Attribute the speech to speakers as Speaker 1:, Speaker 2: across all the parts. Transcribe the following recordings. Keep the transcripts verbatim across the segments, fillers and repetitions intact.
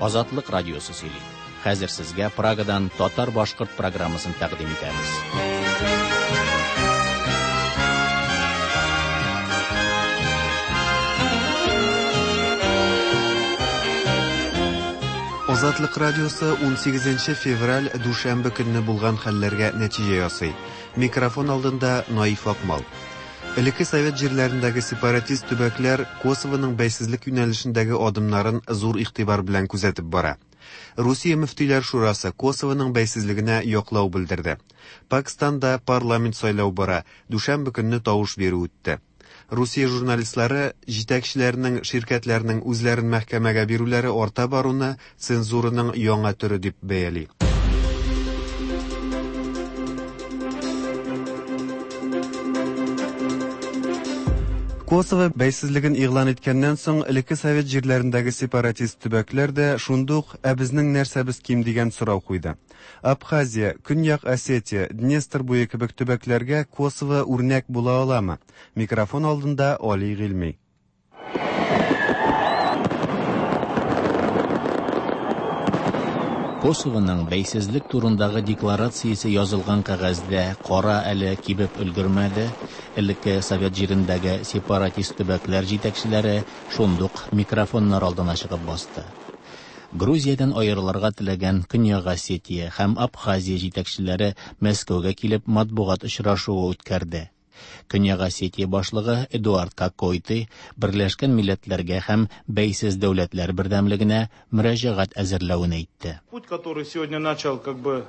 Speaker 1: Азатлык радиосы сөйли. Хәзер сезгә Прагадан татар-башкорт программасын тәкъдим итәбез.
Speaker 2: Азатлык радиосы унсигезенче февраль дүшәмбе көнне булган хәлләргә нәтиҗә ясый. Микрофон алдында Наиф Акмал. Элекке совет җирләрендәге сепаратист төбәкләр Косовоның бәйсезлек юнәлешендәге адымнарын зур игътибар белән күзәтеп бара. Русия мөфтиләр шурасы Косовоның бәйсезлегенә яклау белдерде. Пакистанда парламент сайлау бара, дүшәмбе көнне тавыш бирү үтте. Русия журналистлары җитәкчеләренең, ширкәтләрнең үзләрен мәхкәмәгә бирүләре арта баруны цензураның яңа төре дип бәяли. Косово бәйсезлеген игълан иткәннән соң, элекке совет җирләрендәге сепаратист төбәкләр дә шундук «Ә безнең нәрсәбез ким?» дигән сорау куйды. Абхазия, Көньяк Осетия, Днестр буе кебек төбәкләргә Косово үрнәк була аламы? Микрофон алдында Али Гыйльми.
Speaker 1: Косовоның бәйсезлек турындагы декларациясе язылган кәгазьдә кара әле кибеп өлгермәде. Элекке совет җирендәге сепаратист төбәкләр җитәкчеләре шундук микрофоннар алдына чыгып басты. Грузиядән аерылырга теләгән Көньяк Осетия һәм Абхазия җитәкчеләре Мәскәүгә килеп матбугат очрашуы үткәрде. Көньяк Осетия башлыгы Эдуард Кокойты Берләшкән Милләтләргә һәм Бәйсез Дәүләтләр Бердәмлегенә мөрәҗәгать әзерләвен әйтте.
Speaker 3: Путь, который сегодня начал, как бы,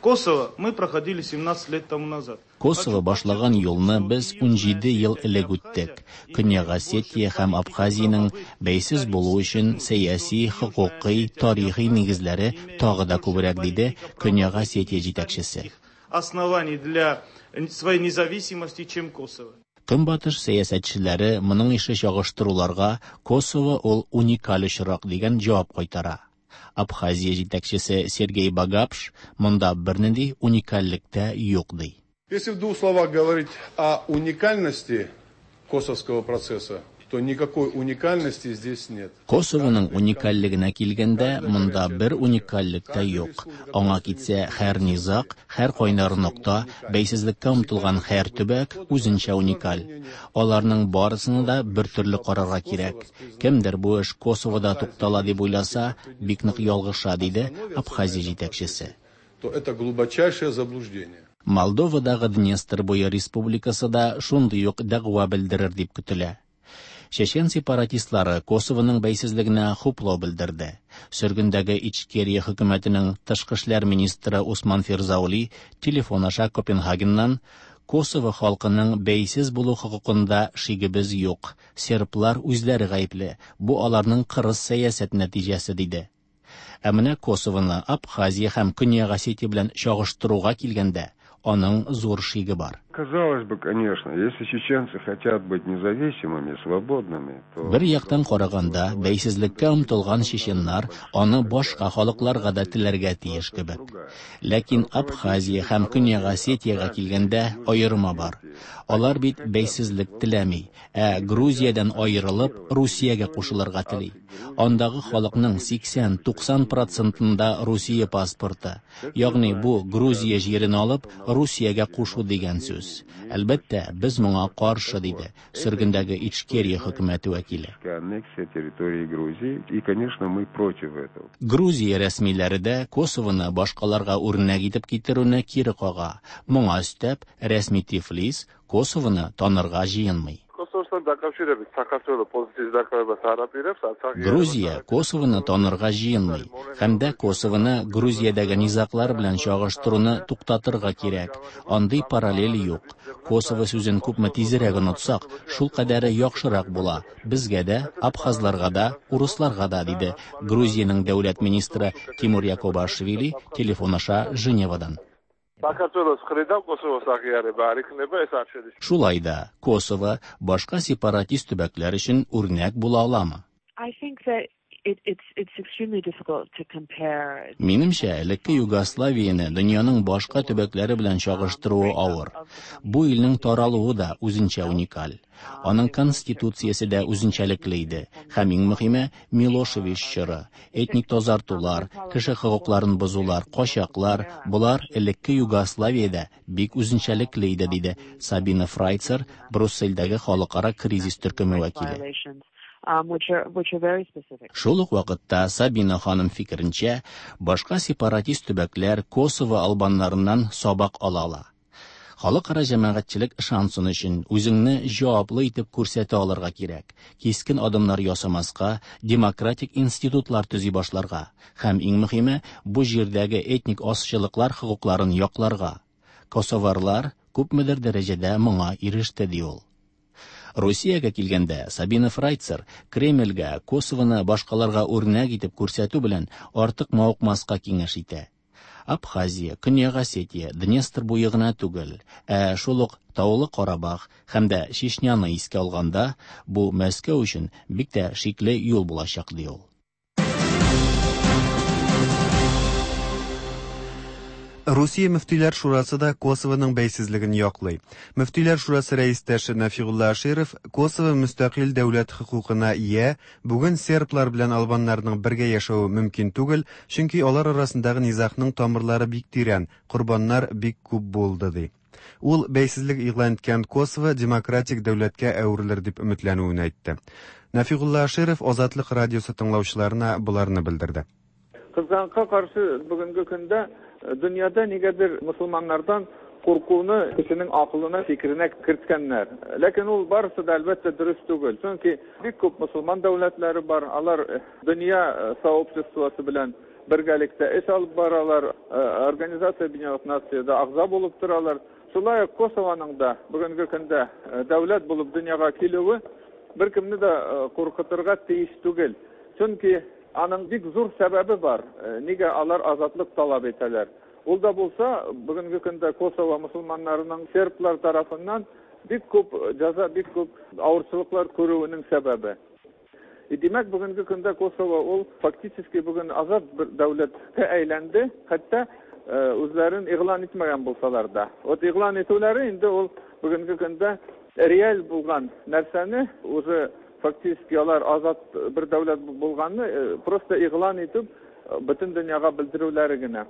Speaker 3: Косово, мы проходили семнадцать лет тому назад.
Speaker 1: Косово башлаган юлны без унҗиде ел элек үттек. Көньяк Осетия һәм Абхазиянең бәйсез булу өчен сәяси, хокукый, тарихи нигезләре тагы да күбрәк, диде Көньяк Осетия җитәкчесе.
Speaker 3: Оснований для своей независимости, чем Косово.
Speaker 1: Көнбатыш сәясәтчеләре моның ише чагыштыруларга Косово ул уникаль очрак дигән җавап кайтара. Абхазия җитәкчесе Сергей Багапш монда бернинди уникальлек тә юк ди.
Speaker 4: Если в двух словах говорить о уникальности косовского процесса, то никакой уникальности здесь нет.
Speaker 1: Косовоның уникальлегенә килгәндә, монда бер уникальлек тә юк. Аңа китсә, һәр низак, һәр кайнар нокта, бәйсезлеккә омтылган һәр төбәк үзенчә уникаль. Аларның барысына да бер төрле карарга кирәк. Кемдер бу эш Косовода туктала дип уйласа, бик нык ялгыша, диде Абхазия җитәкчесе.
Speaker 4: То это глубочайшее заблуждение.
Speaker 1: Молдовадагы Днестр буе республикасы да шундый ук дәгъва белдерер дип көтелә. Чечен сепаратистлары Косовоның бәйсезлегенә хуплау белдерде. Сөргендәге Ичкерия хөкүмәтенең тышкы эшләр министры Усман Фирзаули телефон аша Копенгагеннан Косово халкының бәйсез булу хокукында шигебез юк. Серблар үзләре гаепле. Бу аларның кырыс сәясәт нәтиҗәсе, диде. Ә менә Косовоны Абхазия һәм Көньяк Осетия белән чагыштыруга килгәндә, аның зур шиге бар.
Speaker 5: Казалось бы, конечно, если чеченцы хотят быть независимыми, свободными, то
Speaker 1: Бер яктан караганда, бәйсезлеккә омтылган чеченнар аны башка халыкларга да теләргә тиеш кебек. Ләкин Абхазия һәм Көньяк Осетиягә килгәндә аерма бар. Алар бит бәйсезлек теләми, ә Грузиядән аерылып Русиягә кушылырга тели. Андагы халыкның сиксән-туксан процентында Русия паспорты, ягъни бу Грузия җирен алып Русиягә кушу дигән сүз. Әлбәттә, без моңа каршы, диде сөргендәге Ичкерия хөкүмәте вәкиле.
Speaker 5: Аннексия территории Грузии, и, конечно, мы против этого.
Speaker 1: Грузия рәсмиләре дә Косовоны башкаларга үрнәк итеп китерүне кире кага. Моңа өстәп, рәсми Тифлис Косовоны танырга җыенмый.
Speaker 6: Косовостан დაკავშირებით საქართველო პოზიციის დაკავებას არ აპირებს, არც აღიარებას
Speaker 1: Грузия
Speaker 6: არ
Speaker 1: Косовоны танырга җыенмый, һәм дә Косовоны Грузиядәге низаглар белән чагыштыруны туктатырга кирәк. Андый параллель юк. Косово сүзен күпме тизрәк онытсак, шул кадәре яхшырак була. Безгә дә, абхазларга да, урысларга да, диде Грузиянең дәүләт министры Тимур Якобашвили телефон аша Женевадан.
Speaker 6: საქართველოს მხრიდან კოსოვოს აღიარება არ იქნება, ეს არ შედის.
Speaker 1: Шулай да Косово башка сепаратист төбәкләр өчен үрнәк була аламы?
Speaker 7: I think that
Speaker 1: Минемчә, элекке Югославияне дөньяның башка төбәкләре белән чагыштыруы авыр. Бу илнең таралуы да үзенчә уникаль. Аның конституциясе дә үзенчәлекле иде. Һәм иң мөһиме Милошевич чоры, этник тазартулар, кеше хокукларын бозулар, качаклар, болар элекке Югославиядә бик үзенчәлекле иде, диде Сабина Фрайцер, Брюссельдәге халыкара кризис төркеме вәкиле. Шул ук вакытта Сабина ханым фикеренчә, башка сепаратист төбәкләр Косово албаннарыннан сабак ала ала. Халыкара җәмәгатьчелек ышансын өчен үзеңне җаваплы итеп күрсәтә алырга кирәк. Кискен адымнар ясамаска, демократик институтлар төзи башларга һәм иң мөһиме, бу җирдәге этник азчылыклар хокукларын якларга. Косоварлар күпмедер дәрәҗәдә моңа иреште, ди ул. Русиягә килгәндә, Сабина Фрайцер Кремльгә Косовоны башкаларга үрнәк итеп күрсәтү белән артык мавыкмаска киңәш итә. Абхазия, Көньяк Осетия, Днестр буе гына түгел, ә шул ук Таулы Карабах һәм дә Чечняны искә алганда, бу Мәскәү өчен бик тә шикле юл булачак, ди ул.
Speaker 2: Русия Мөфтиләр Шурасы да Косовоның бәйсезлеген яклый. Мөфтиләр Шурасы рәистәше Нафигулла Аширов Косово мөстәкыйль дәүләт хокукына ия, бүген серблар белән албаннарның бергә яшәве мөмкин түгел, чөнки алар арасындагы низагның тамырлары бик тирән, корбаннар бик күп булды, ди. Ул бәйсезлек игълан иткән Косово демократик дәүләткә әверелер дип өметләнүен әйтте. Нафигулла Аширов Азатлык радиосы тыңлаучыларына боларны белдерде.
Speaker 6: Кызганка каршы бүгенге көндә дөньяда нигәдер мусулманнардан куркуны кешенең акылына, фикеренә керткәннәр. Ләкин ул барысы да әлбәттә дөрес түгел. Чөнки бик күп мусулман дәүләтләре бар, алар дөнья сообществосы белән бергәлектә эш алып баралар, Организация Объединенных Нациядә әгъза булып торалар. Шулай ук Косованың да бүгенге көндә дәүләт булып дөньяга килүе беркемне дә куркытырга тиеш түгел. Чөнки аның бик зур сәбәбе бар. Нигә алар азатлык таләп итәләр? Ул да булса, бүгенге көндә Косово мусулманнарының серблар тарафыннан бик күп җәза, бик күп авырчылыклар күрүенең сәбәбе. И димәк, бүгенге көндә Косово ул фактически бүген азат бер дәүләткә әйләнде, хәтта үзләрен игълан итмәгән булсалар да. Вот игълан итүләре инде ул бүгенге көндә реаль булган нәрсәне уже фактически алар азат бер дәүләт булганны просто игълан итеп бөтен дөньяга белдерүләре генә.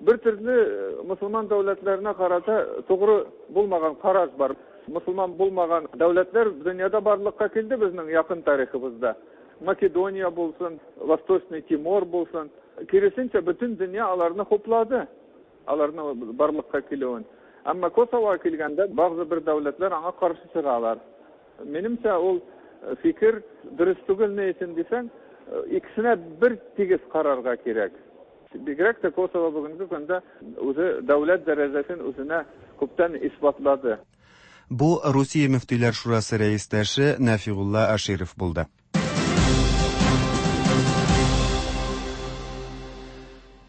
Speaker 6: Бер төрле мусулман дәүләтләренә карата тугры булмаган караш бар. Мусулман булмаган дәүләтләр дөньяда барлыкка килде безнең якын тарихыбызда. Македония булсын, Восточный Тимор булсын. Киресенчә бөтен дөнья аларны хуплады, аларны барлыкка килүен. Әмма Косовога килгәндә бәгъзе бер дәүләтләр аңа каршы чыгалар. Минемчә ул фикер дөрес түгел, ни өчен дисәң, икесенә бер тигез карарга кирәк. Бигрәк тә Косово бүгенге көндә үзе дәүләт дәрәҗәсен үзенә күптән исбатлады.
Speaker 2: Бу Русия Мөфтиләр Шурасы рәистәше Нафигулла Аширов булды.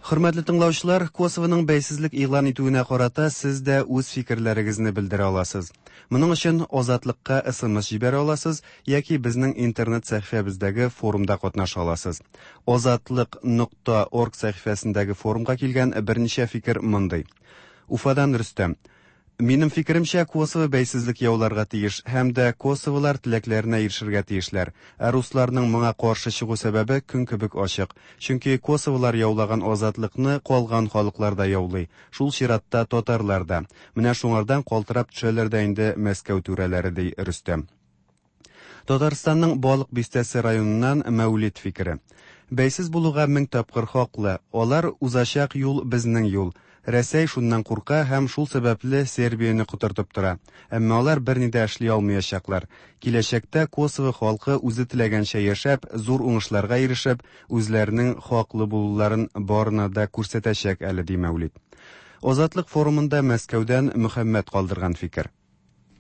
Speaker 2: Хөрмәтле тыңлаучылар, Косованың бәйсезлек игълан итүенә карата сез дә үз фикерләрегезне белдерә аласыз. Моның өчен Азатлыкка эс эм эс җибәрә аласыз яки безнең интернет сәхифәбездәге форумда катнаша аласыз. Азатлык нокта орг сәхифәсендәге форумга килгән берничә фикер мондый. Уфадан Рөстәм. Минем фикеремчә, Косово бәйсезлек яуларга тиеш һәм дә косоволар теләкләренә ирешергә тиешләр. Ә русларның моңа каршы чыгу сәбәбе көн кебек ачык. Чөнки косоволар яулаган азатлыкны калган халыклар да яулый. Шул чиратта татарлар да. Менә шуңардан калтырап төшәләр дә инде Мәскәү түрәләре, ди Рөстәм. Татарстанның Балык Бистәсе районыннан Мәүлид фикере. Бәйсез булуга мең тапкыр хаклы. Алар узачак юл безнең юл. Рәсәй шуннан курка һәм шул сәбәпле Сербияне котыртып тора. Әмма алар берни дә эшли алмаячаклар. Киләчәктә Косово халкы үзе теләгәнчә яшәп, зур уңышларга ирешеп, үзләренең хаклы булуларын барына да күрсәтәчәк әле, ди Мәүлид. Азатлык форумында Мәскәүдән Мөхәммәт калдырган фикер.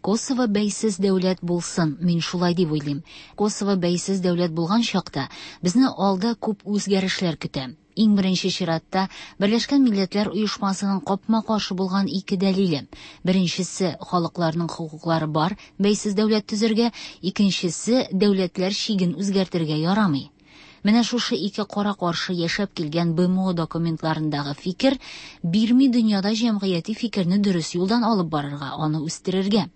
Speaker 7: Косово бәйсез дәүләт булсын, мин шулай дип уйлыйм. Косово бәйсез дәүләт булган чакта безне алда күп үзгәрешләр көтә. Иң беренче чиратта Берләшкән Милләтләр Оешмасының капма-каршы булган ике дәлиле. Беренчесе халыкларның хокуклары бар, бәйсез дәүләт төзергә, икенчесе дәүләтләр чиген үзгәртергә ярамый. Менә шушы ике кара-каршы яшәп килгән Б М О документларындагы фикер бирми дөньяда җәмгыяти фикерне дөрес юлдан алып барырга, аны үстерергә.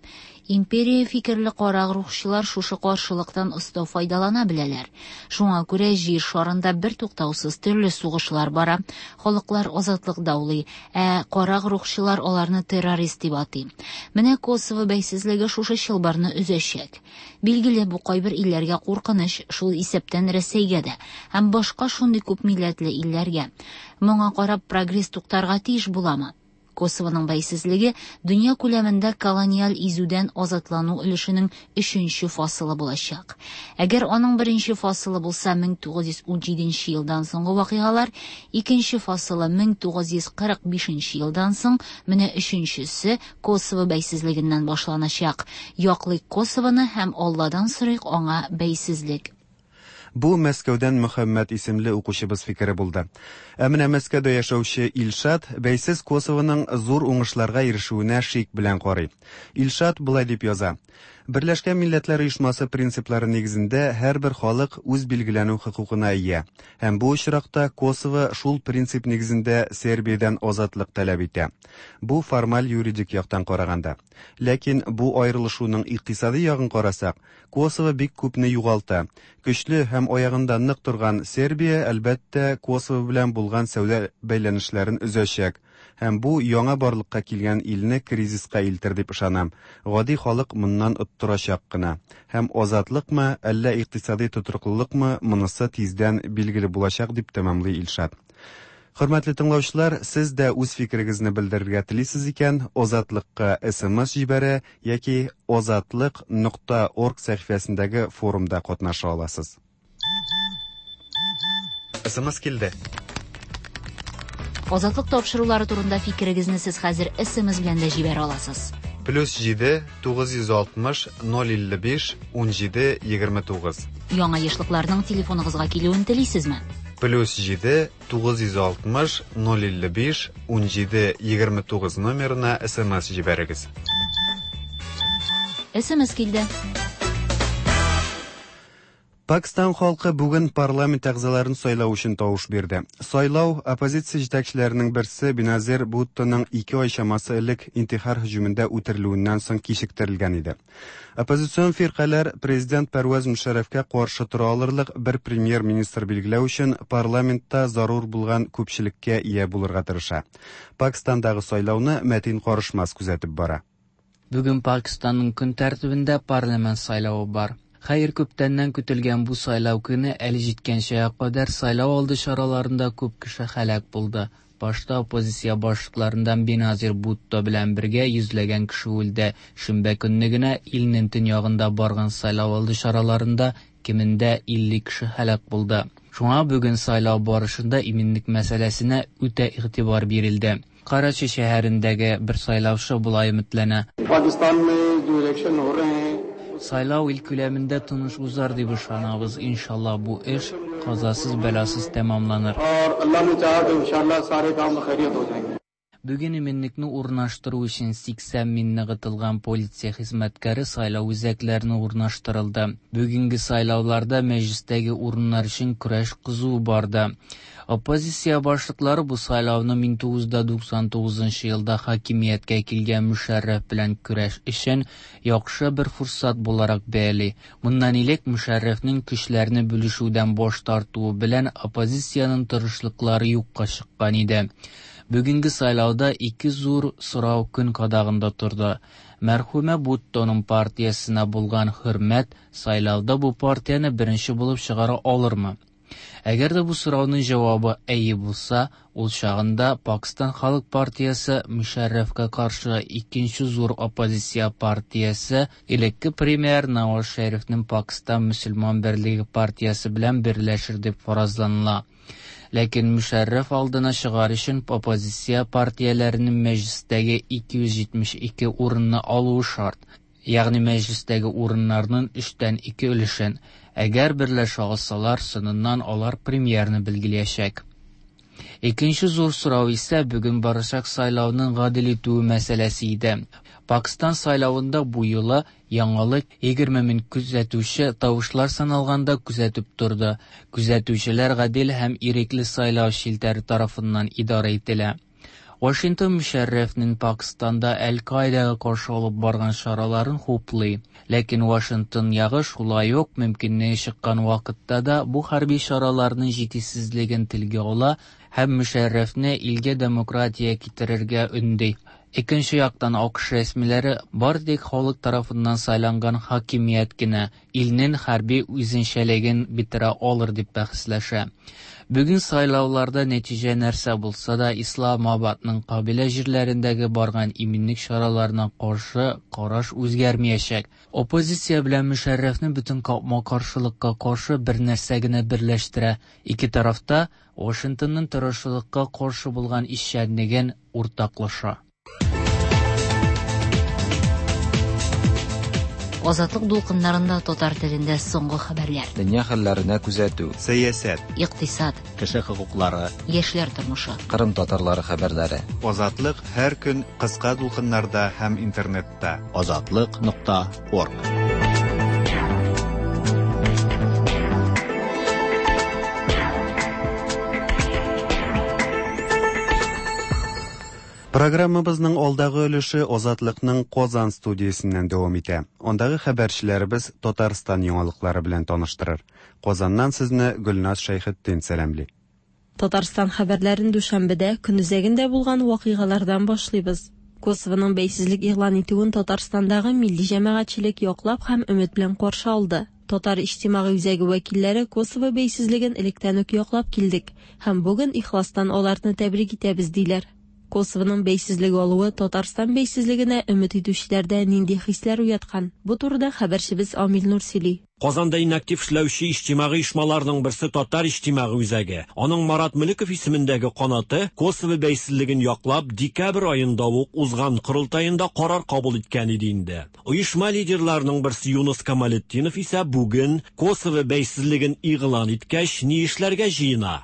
Speaker 7: Империя фикерле карагруһчылар шушы каршылыктан оста файдалана беләләр. Шуңа күрә җир шарында бертуктаусыз төрле сугышлар бара, халыклар азатлык даулый, ә карагруһчылар аларны террорист дип атый. Менә Косово бәйсезлеге шушы чылбырны өзәчәк. Билгеле, бу кайбер илләргә куркыныч, шул исәптән Рәсәйгә дә һәм башка шундый күп милләтле илләргә. Моңа карап прогресс туктарга тиеш буламы? Косовоның бәйсезлеге дөнья күләмендә колониаль изүдән азатлану өлешенең өченче фасылы булачак. Әгәр аның беренче фасылы булса мең тугыз йөз унҗиденче елдан соңгы вакыйгалар, икенче фасылы мең тугыз йөз кырык бишенче елдан соң, менә өченчесе Косово бәйсезлегеннән башланачак. Яклыйк Косовоны һәм Алладан сорыйк аңа бәйсезлек.
Speaker 2: Бу Мәскәүдән Мөхәммәд исемле укучыбыз фикере булды. Ә менә Мәскәүдә яшәүче Илшат бәйсез Косовоның зур уңышларга ирешүенә шик белән карый. Илшат болай дип яза: Берләшкән Милләтләр Оешмасы принциплары нигезендә һәрбер халык үз билгеләнү хокукына ия. Һәм бу очракта Косово шул принцип нигезендә Сербиядән азатлык таләп итә. Бу формаль юридик яктан караганда. Ләкин бу аерылышуның икътисади ягын карасак, Косово бик күпне югалта. Көчле һәм аягында нык торган Сербия, әлбәттә, Косово белән булган сәүдә бәйләнешләрен өзәчәк. Һәм бу яңа барлыкка килгән илне кризиска илтер дип ышанам. Гади халык моннан оттырачак кына. Һәм азатлыкмы, әллә икътисади тотрыклылыкмы, монысы тиздән билгеле булачак, дип тәмамлый Илшат. Хөрмәтле тыңлаучылар, сез дә үз фикерегезне белдерергә телисез икән, Азатлыкка С М С җибәрә яки азатлык нокта орг сәхифәсендәге форумда катнаша аласыз. С М С килде.
Speaker 7: Азатлык тапшырулары турында фикерегезне сез хәзер С М С белән дә җибәрә аласыз.
Speaker 2: Плюс җиде тугыз йөз алтмыш ноль илле биш унҗиде егерме тугыз.
Speaker 7: Яңа ешлыкларның телефоныгызга килүен телисезме?
Speaker 2: Плюс җиде тугыз йөз алтмыш ноль илле биш унҗиде егерме тугыз номерына С М С җибәрегез.
Speaker 7: С М С килде.
Speaker 2: Пакистан халкы бүген парламент әгъзаларын сайлау өчен тавыш бирде. Сайлау оппозиция җитәкчеләренең берсе Беназир Буттоның ике ай чамасы элек интихар һөҗүмендә үтерелүеннән соң кичектерелгән иде. Оппозицион фиркаләр президент Пәрвәз Мөшәррәфкә каршы тора алырлык бер премьер-министр билгеләү өчен парламентта зарур булган күпчелеккә ия булырга тырыша. Пакистандагы сайлауны Мәтин Карышмас күзәтеп бара.
Speaker 8: Бүген Пакистанның көн тәртибендә парламент сайлавы бар. Хәер, күптәннән көтелгән бу сайлау көне әле җиткәнчегә кадәр сайлау алды чараларында күп кеше һәлак булды. Башта оппозиция башлыкларыннан Беназир Бутто белән бергә йөзләгән кеше үлде. Шимбә көнне генә илнең төньягында барган сайлау алды чараларында кимендә илле кеше һәлак булды. Шуңа бүген сайлау барышында иминлек мәсьәләсенә үтә игътибар бирелде. Карачи шәһәрендәге бер сайлаучы болай өметләнә. Сайлау ил күләмендә тыныч узар дип ышанабыз. Иншалла, бу эш казасыз бәласыз тәмамланыр. Бүген иминлекне урнаштыру өчен сиксән мең ныгытылган полиция хезмәткәре сайлау үзәкләренә урнаштырылды. Бүгенге сайлауларда мәҗлестәге урыннар өчен көрәш кызу барды. Оппозиция башлыклары бу сайлауны мең тугыз йөз туксан тугызынчы елда хакимияткә килгән Мөшәррәф белән көрәш өчен яхшы бер форсат буларак бәяли. Моннан элек Мөшәррәфнең көчләрне бүлешүдән баш тартуы белән оппозициянең тырышлыклары юкка чыккан иде. Бүгенге сайлауда ике зур сорау көн кадагында торды. Мәрхүмә Буттоның партиясенә булган хөрмәт сайлауда бу партияне беренче булып чыгара алырмы? Әгәр дә бу сорауның җавабы әйе булса, ул чагында Пакистан Халык партиясе Мөшәррәфкә каршы икенче зур оппозиция партиясе элекке премьер Наваз Шәрифнең Пакистан мөселман берлеге партиясе белән берләшер дип фаразланыла. Ләкин Мөшәррәф алдына чыгар өчен оппозиция партияләренең мәҗлестәге ике йөз җитмеш ике урынны алуы шарт. Ягъни мәҗлестәге урыннарның өчтән ике өлешен. Әгәр берләшә алсалар, соңыннан алар премьерны билгеләячәк. Икенче зур сорау исә бүген барачак сайлауның гадел үтүе мәсьәләсе иде. Пакстан сайлавында бу юлы яңалык егерме мең күзәтүче тавышлар саналганда күзәтеп торды. Күзәтүчеләр гадел һәм ирекле сайлау челтәре тарафыннан идарә ителә. Вашингтон Мөшәррәфнең Пакстанда Әл-Каидага каршы алып барган чараларын хуплый. Ләкин Вашингтон ягы шулай ук мөмкинлеге чыккан вакытта да бу хәрби чараларның җитешсезлеген телгә ала һәм Мөшәррәфне илгә демократия китерергә өнди. Икенче яктан АКШ рәсмиләре бары тик халык тарафыннан сайланган хакимият кенә илнең хәрби үзенчәлеген бетерә алыр дип бәхәсләшә. Бүген сайлауларда нәтиҗә нәрсә булса да, Исламабадның кабилә җирләрендәге барган иминлек чараларына каршы караш үзгәрмәячәк. Оппозиция белән Мөшәррәфне бөтен капма-каршылыкка каршы бер нәрсә генә берләштерә. Ике тарафта Вашингтонның террорчылыкка каршы булган эшчәнлеген уртаклаша.
Speaker 7: Азатлык дулкыннарында татар телендә соңгы хәбәрләр.
Speaker 9: Дөнья хәлләренә күзәтү.
Speaker 2: Сәясәт.
Speaker 7: Икътисад.
Speaker 1: Кеше хокуклары.
Speaker 7: Яшьләр тормышы.
Speaker 9: Кырым татарлары хәбәрләре.
Speaker 2: Азатлык һәр көн кыска дулкыннарда һәм интернетта.
Speaker 1: Азатлык нокта орг.
Speaker 2: Программабызның алдагы өлеше Азатлыкның Казан студиясеннән дәвам итә. Андагы хәбәрчеләребез Татарстан яңалыклары белән таныштырыр. Казаннан сезне Гөлназ Шәйхетдин сәламли.
Speaker 10: Татарстан хәбәрләрен дүшәмбедә көнүзәгендә булган вакыйгалардан башлыйбыз. Косовоның бәйсезлек игълан итүен Татарстандагы милли җәмәгатьчелек яклап һәм өмет белән каршы алды. Татар иҗтимагый үзәге вәкилләре Косово бәйсезлеген электән үк яклап килдек һәм бүген ихластан аларны тәбрик итәбез диләр. Косовоның бәйсезлеге алуы Татарстан бәйсезлегенә өмет итүчеләрдә нинди хисләр уяткан? Бу турыда хәбәрчебез Амил Нур сөйли.
Speaker 11: Казанда иң актив эшләүче иҗтимагый оешмаларның берсе Татар иҗтимагый үзәге. Аның Марат Мөлеков исемендәге канаты Косово бәйсезлеген яклап декабрь аенда ук узган корылтаенда карар кабул иткән иде инде. Оешма лидерларының берсе Юнус Камалетдинов исә бүген Косово бәйсезлеген игълан иткәч ни эшләргә җыена?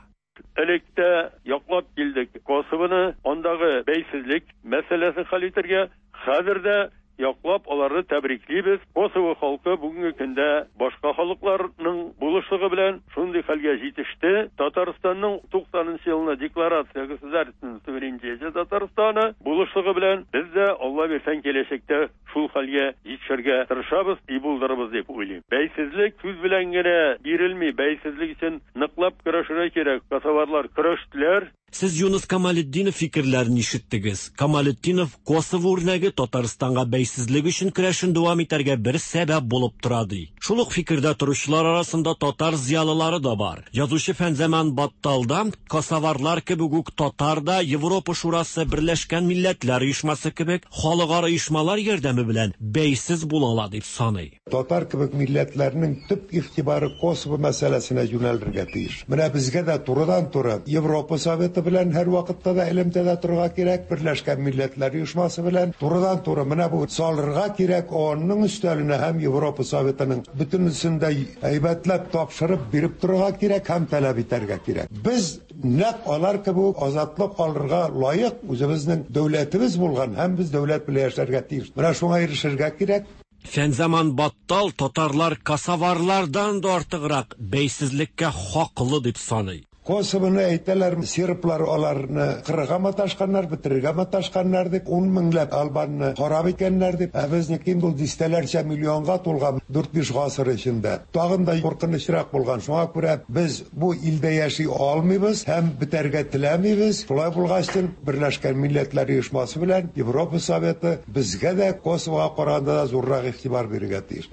Speaker 12: Электә яклап килдек Косовоны, андагы бәйсезлек мәсьәләсен хәл итәргә, хәзер дә яклап аларны тәбриклибез. Косово халкы бүгенге көндә башка халыкларның булышлыгы белән шундый хәлгә җитеште. Татарстанның туксанынчы елына декларация государственного суверенитета Татарстаны булышлыгы белән без дә Алла бирсен киләчәктә шул хәлгә җитешергә тырышабыз, и булдырабыз дип уйлыйм. Бәйсезлек сүз белән генә бирелми, бәйсезлек өчен ныклап көрәшергә кирәк. Косоварлар көрәштеләр.
Speaker 11: Сез Юнус Камалетдинов фикерләрен ишеттегез. Камалетдинов Косово үрнәге Татарстанга бәйсезлек өчен көрәшен дәвам итәргә бер сәбәп булып тора ди. Шул ук фикердә торучылар арасында татар зыялылары да бар. Язучы Фәнзаман Батталда косоварлар кебек үк татар да Европа Шурасы, Берләшкән Милләтләр Оешмасы кебек халыкара оешмалар ярдәме белән бәйсез була ала дип саный.
Speaker 13: Татар кебек милләтләрнең төп игътибары Косово мәсьәләсенә юнәлергә тиеш. Менә безгә дә турыдан-туры Европа Советы белән һәр вакытта да элемтәдә торырга кирәк, Берләшкән Милләтләр Оешмасы белән турыдан-туры менә бу салырга кирәк, ООНның өстәленә һәм Европа Советының бөтенесен дә әйбәтләп тапшырып биреп торырга кирәк һәм таләп итәргә кирәк. Без нәкъ алар кебек азатлык алырга лаек, үзебезнең дәүләтебез булган һәм без дәүләт белән яшәргә тиеш. Менә шуңа ирешергә кирәк.
Speaker 11: Фәнзаман Баттал татарлар косоварлардан да артыграк бәйсезлеккә хаклы дип саный.
Speaker 13: Косовоны әйтәләр, серблар аларны кырырга маташканнар, бетерергә маташканнар дип, ун меңләп албанны харап иткәннәр дип, ә безнеке инде ул дистәләрчә миллионга тулган дүрт-биш гасыр эчендә. Тагын да куркынычрак булган. Шуңа күрә без бу илдә яши алмыйбыз һәм бетәргә теләмибез. Шулай булгач, Берләшкән Милләтләр Оешмасы белән Европа Советы безгә дә Косовога караганда да зуррак игътибар бирергә тиеш.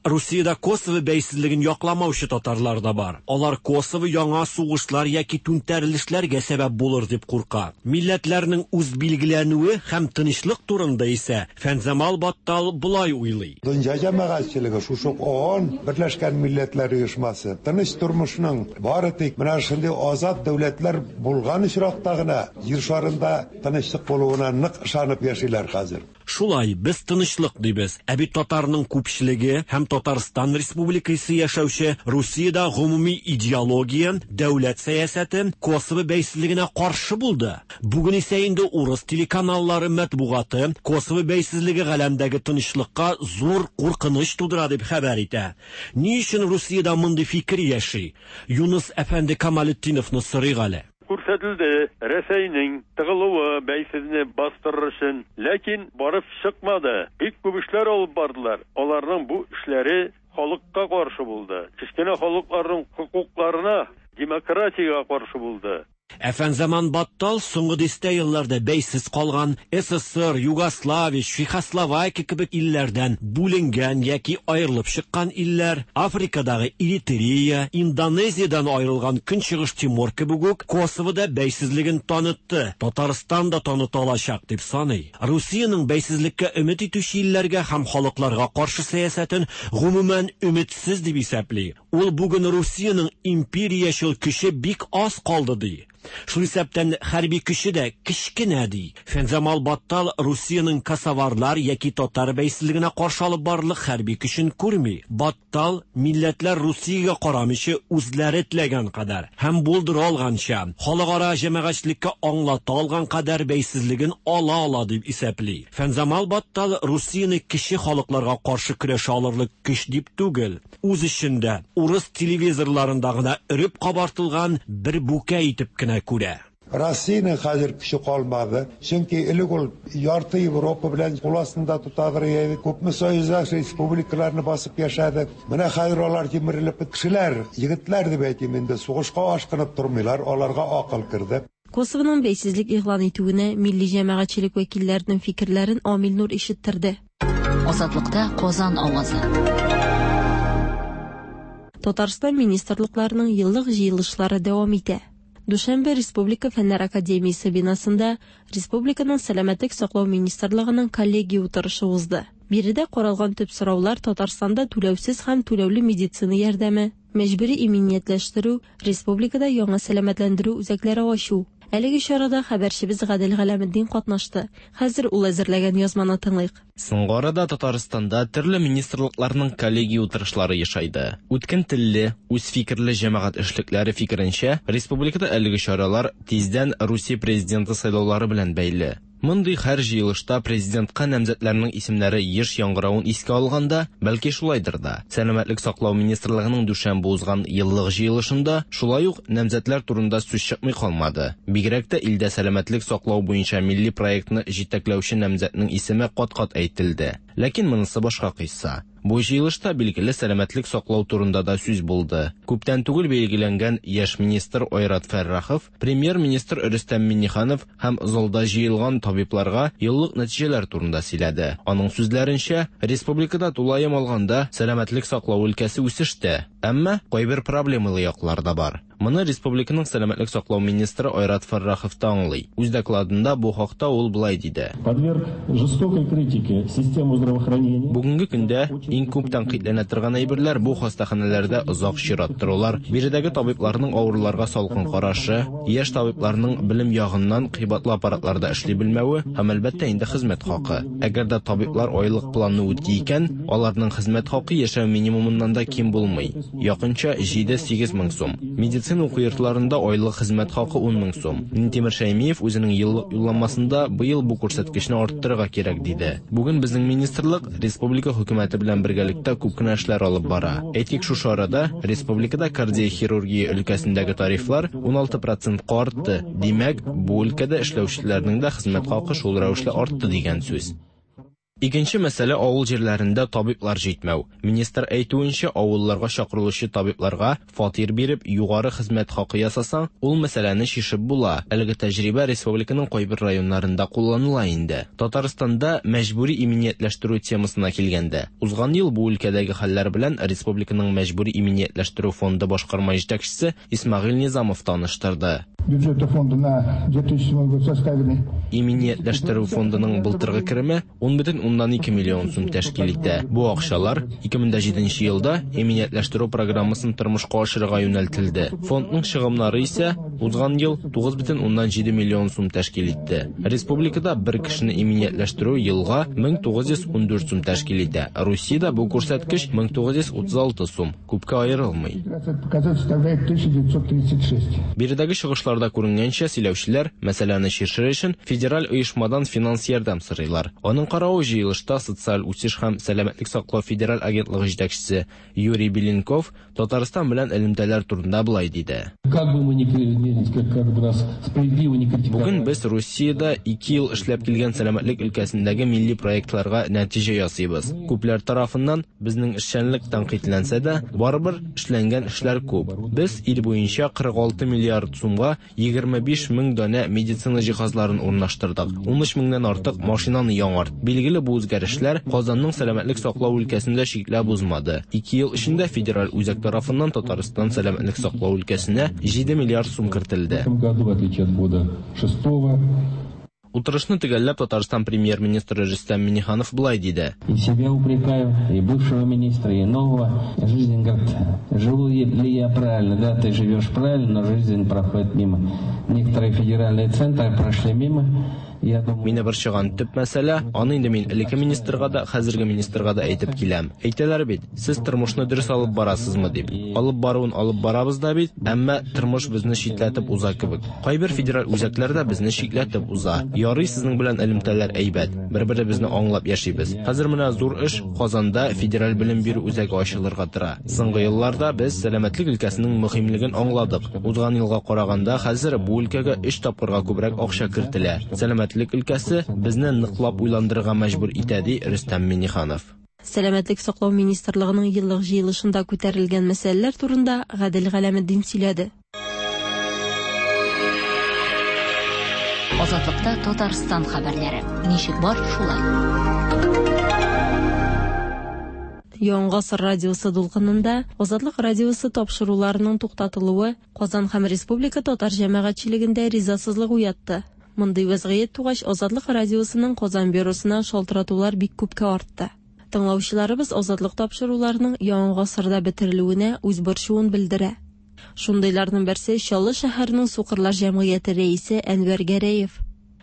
Speaker 11: Русиядә Косово бәйсезлеген якламаучы татарлар да бар. Алар Косово яңа сугышлар яки түнтәрелешләргә сәбәп булыр дип курка. Милләтләрнең үз билгеләнүе һәм тынычлык турында исә Фәнзамал Баттал болай уйлый.
Speaker 13: Дөнья җәмәгатьчелеге шушы ООН, Берләшкән Милләтләр Оешмасы тыныч тормышның бары тик менә шундый азат дәүләтләр булган очракта гына җир шарында тынычлык булуына нык ышанып яшиләр хәзер.
Speaker 11: Шулай, без тынычлык дибез. Ә бит татарның күпчелеге һәм Татарстан Республикасы яшәүче Русиядә гомуми идеология, дәүләт сәясәте Косово бәйсезлегенә каршы булды. Бүген исә инде урыс телеканаллары матбугаты Косово бәйсезлеге галәмдәге тынычлыкка зур куркыныч тудыра дип хәбәр итә. Ни өчен Русиядә мондый фикер яши? Юныс әфәнде Камалетдиновны сорыйк әле.
Speaker 12: Күрсәтелде Рәсәйнең тыгылуы бәйсезне бастырыр өчен, ләкин барып чыкмады. Бик күп эшләр алып бардылар. Аларның бу эшләре халыкка каршы булды. Кечкенә халыкларның хокукларына, демократиягә каршы булды.
Speaker 11: Ә Фәнзаман Баттал соңгы дистә елларда бәйсез калган СССР, Югославия, Чехословакия кебек илләрдән бүленгән яки аерылып чыккан илләр, Африкадагы Эритрея, Индонезиядән аерылган Көнчыгыш Тимор кебек үк Косовода бәйсезлеген танытты, Татарстан да таныта алачак дип саный. Русиянең бәйсезлеккә өмет итүче илләргә һәм халыкларга каршы сәясәтен гомумән өметсез дип исәпли. Ул бүген Русиянең империячел көче бик аз калды ди. Шул исәптән хәрби көче дә кечкенә ди. Фәнзамал Баттал Русиянең косоварлар яки татар бәйсезлегенә каршы алып барырлык хәрби көчен күрми. Баттал милләтләр Русиягә карамыйча үзләре теләгән кадәр һәм булдыра алганча, халыкара җәмәгатьчелеккә аңлата алган кадәр бәйсезлеген ала ала дип исәпли. Фәнзамал Баттал Русияне кече халыкларга каршы көрәшә алырлык көч дип түгел, үз эчендә урыс телевизорларында гына өреп кабартылган бер бүкә итеп кенә күрә.
Speaker 13: Россиянең хәзер көче калмады. Чөнки элек ул ярты Европа белән кул астында тотадыр иде. Күпме союздаш республикаларны басып яшәде. Менә хәзер алар җимерелеп кешеләр, егетләр дип әйтим инде, сугышка ашкынып тормыйлар, аларга акыл керде.
Speaker 10: Косовоның бәйсезлек игълан итүенә милли җәмәгатьчелек вәкилләренең фикерләрен Амил Нур ишеттерде.
Speaker 7: Азатлыкта Казан авазы.
Speaker 10: Татарстан министрлыкларының еллык җыелышлары дәвам итә. Дүшәмбе Республика Фәннәр академиясе бинасында Республиканың Сәламәтлек саклау министрлыгының коллегия утырышы узды. Биредә каралган төп сораулар Татарстанда түләүсез һәм түләүле медицина ярдәме, мәҗбүри иминиятләштерү, республикада яңа сәламәтләндерү үзәкләре ачу. Әлеге чарада хәбәрчебез Гадел Галәметдин катнашты. Хәзер ул әзерләгән язманы тыңлыйк.
Speaker 14: Соңгы арада Татарстанда төрле министрлыкларның коллегия утырышлары ешайды. Үткен телле, үз фикерле җәмәгать эшлекләре фикеренчә, республикада әлеге чаралар тиздән Русия президенты сайлаулары белән бәйле. Мондый һәр җыелышта президентка намзәтләрнең исемнәре еш яңгыравын искә алганда, бәлки шулайдыр да. Сәламәтлек саклау министрлыгының дүшәмбе узган еллык җыелышында шулай ук намзәтләр турында сүз чыкмый калмады. Бигрәк тә илдә сәламәтлек саклау буенча милли проектны җитәкләүче намзәтнең исеме кат-кат әйтелде. Ләкин монысы башка кыйсса. Бу җыелышта билгеле сәламәтлек саклау турында да сүз булды. Күптән түгел билгеләнгән яшь министр Айрат Фәррахов, премьер-министр Рөстәм Миңнеханов һәм залда җыелган табибларга еллык нәтиҗәләр турында сөйләде. Аның сүзләренчә, республикада тулаем алганда сәламәтлек саклау өлкәсе үсештә, әмма кайбер проблемалы яклар да бар. Моны республиканың сәламәтлек саклау министры Айрат Фәррахов та аңлый. Үз докладында бу хакта ул былай диде.
Speaker 15: Подверг жестокой критике систему здравоохранения.
Speaker 14: Бүгенге көндә иң күп тәнкыйтьләнә торган әйберләр бу хастаханәләрдә озак чират торулар, биредәге табибларның авыруларга салкын карашы, яшь табибларның белем ягыннан кыйбатлы аппаратларда эшли белмәве һәм әлбәттә инде хезмәт хакы. Әгәр дә табиблар айлык планны үти икән, аларның хезмәт хакы яшәү минимумыннан да ким булмый. Якынча җиде-сигез мең сум. Медицина уку йортларында айлык хезмәт хакы ун мең сум. Минтимер Шәймиев үзенең еллык юлламасында быел бу күрсәткечне арттырырга кирәк диде. Бүген безнең министрлык республика хөкүмәте белән бергәлектә күп кенә эшләр алып бара. Әйтик, шушы арада республикада кардиохирургия өлкәсендәге тарифлар ун алты процентка артты. Димәк, бу өлкәдә эшләүчеләрнең дә хезмәт хакы шул рәвешле артты дигән сүз. Икенче мәсьәлә авыл җирләрендә табиблар җитмәү. Министр әйтүенчә, авылларга чакырылучы табибларга фатир биреп, югары хезмәт хакы ясасаң, ул мәсьәләне чишеп була. Әлеге тәҗрибә республиканың кайбер районнарында кулланыла инде. Татарстанда мәҗбүри иминиятләштерү темасына килгәндә, узган ел бу өлкәдәге хәлләр белән республиканың мәҗбүри иминиятләштерү фонды башкарма җитәкчесе Исмәгыйль Низамов таныштырды.
Speaker 16: бюджета фонда на две тысячи седьмой год составили.
Speaker 14: Иминиятләштерү фондының былтыргы кереме ун бөтен уннан ике миллион сум тәшкил итә. Бу акчалар ике мең дә җиденче елда иминиятләштерү программасын тормышка ашырырга юнәлтелде. Фондның чыгымнары исә узган ел тугыз бөтен уннан җиде миллион сум тәшкил итте. Республикада бер кешене иминиятләштерү елга мең тугыз йөз ундүрт сум тәшкил итә. Русиядә бу күрсәткеч мең тугыз йөз утыз алты сум, күпкә аерылмый.
Speaker 16: Показатель составляет тысяча девятьсот тридцать шесть.
Speaker 14: Биредәге чыгышларда күренгәнчә, сөйләүчеләр мәсьәләне чишер өчен федераль оешмадан финанс ярдәм сорыйлар. Аның каравы җыелышта социаль үсеш һәм сәламәтлек саклау федераль агентлыгы җитәкчесе Юрий Беленков Татарстан белән элемтәләр турында былай диде.
Speaker 15: Как бы мы ни кри-, как, как бы нас справедливо не критиковали.
Speaker 14: Бүген без Русиядә ике ел эшләп килгән сәламәтлек өлкәсендәге милли проектларга нәтиҗә ясыйбыз. Күпләр тарафыннан безнең эшчәнлек тәнкыйтьләнсә дә, барыбер эшләнгән эшләр күп. Без ил буенча кырык алты миллиард сумга егерме биш мең данә медицина җиһазларын урнаштырдык. Ун өч меңнән артык машинаны яңарт. Билгеле, бу үзгәрешләр Казанның сәламәтлек саклау өлкәсендә чикләп узмады. Ике ел эчендә федераль үзәк тарафыннан Татарстан сәламәтлек саклау өлкәсенә җиде миллиард сум кертелде.
Speaker 15: В этом году, в отличие от года шестого,
Speaker 14: Утырышны төгәлләп Татарстан премьер-министры Рөстәм Миңнеханов былай диде.
Speaker 17: И себя упрекаю, и бывшего министра, и нового. Жизнь, говорит, живу ли я правильно? Да, ты живешь правильно, но жизнь проходит мимо. Некоторые федеральные центры прошли мимо. Я думаю,
Speaker 14: Мине борчыган төп мәсьәлә, аны инде мин элекке министрга да, хәзерге министрга да әйтеп киләм. Әйтәләр бит, сез тормышны дөрес алып барасызмы дип. Алып баруын алып барабыз да бит, әмма тормыш безне читләтеп уза кебек. Кайбер федераль үзәкләр дә безне читләтеп уза. Ярый, сезнең белән элемтәләр әйбәт, бер-беребезне аңлап яшибез. Хәзер менә зур эш Казанда федераль белем бирү үзәге ачылырга тора. Соңгы елларда без сәламәтлек өлкәсенең мөһимлеген аңладык. Узган елга караганда хәзер бу өлкәгә өч тапкырга күбрәк акча кертелә. Сәламәтлек өлкәсе безне ныклап уйландырырга мәҗбүр итә, ди Рөстәм Миңнеханов.
Speaker 10: Сәламәтлек саклау министрлыгының еллык җыелышында күтәрелгән мәсьәләләр турында Гадел Галәметдин сөйләде.
Speaker 7: Азатлыкта Татарстан хәбәрләре. Ничек бар, шулай.
Speaker 10: Яңа гасыр радиосы дулкынында Азатлык радиосы тапшыруларының туктатылуы Казан һәм республика татар җәмәгатьчелегендә ризасызлык уятты. Мондый вазгыять тугач, Азатлык радиосының Казан бюросына шалтыратулар бик күпкә артты. Тыңлаучыларыбыз Азатлык тапшыруларының яңа гасырда бетерелүенә үз борчуын белдерә. Шундыйларның берсе Чаллы шәһәренең Сукырлар җәмгыяте рәисе Әнвәр Гәрәев.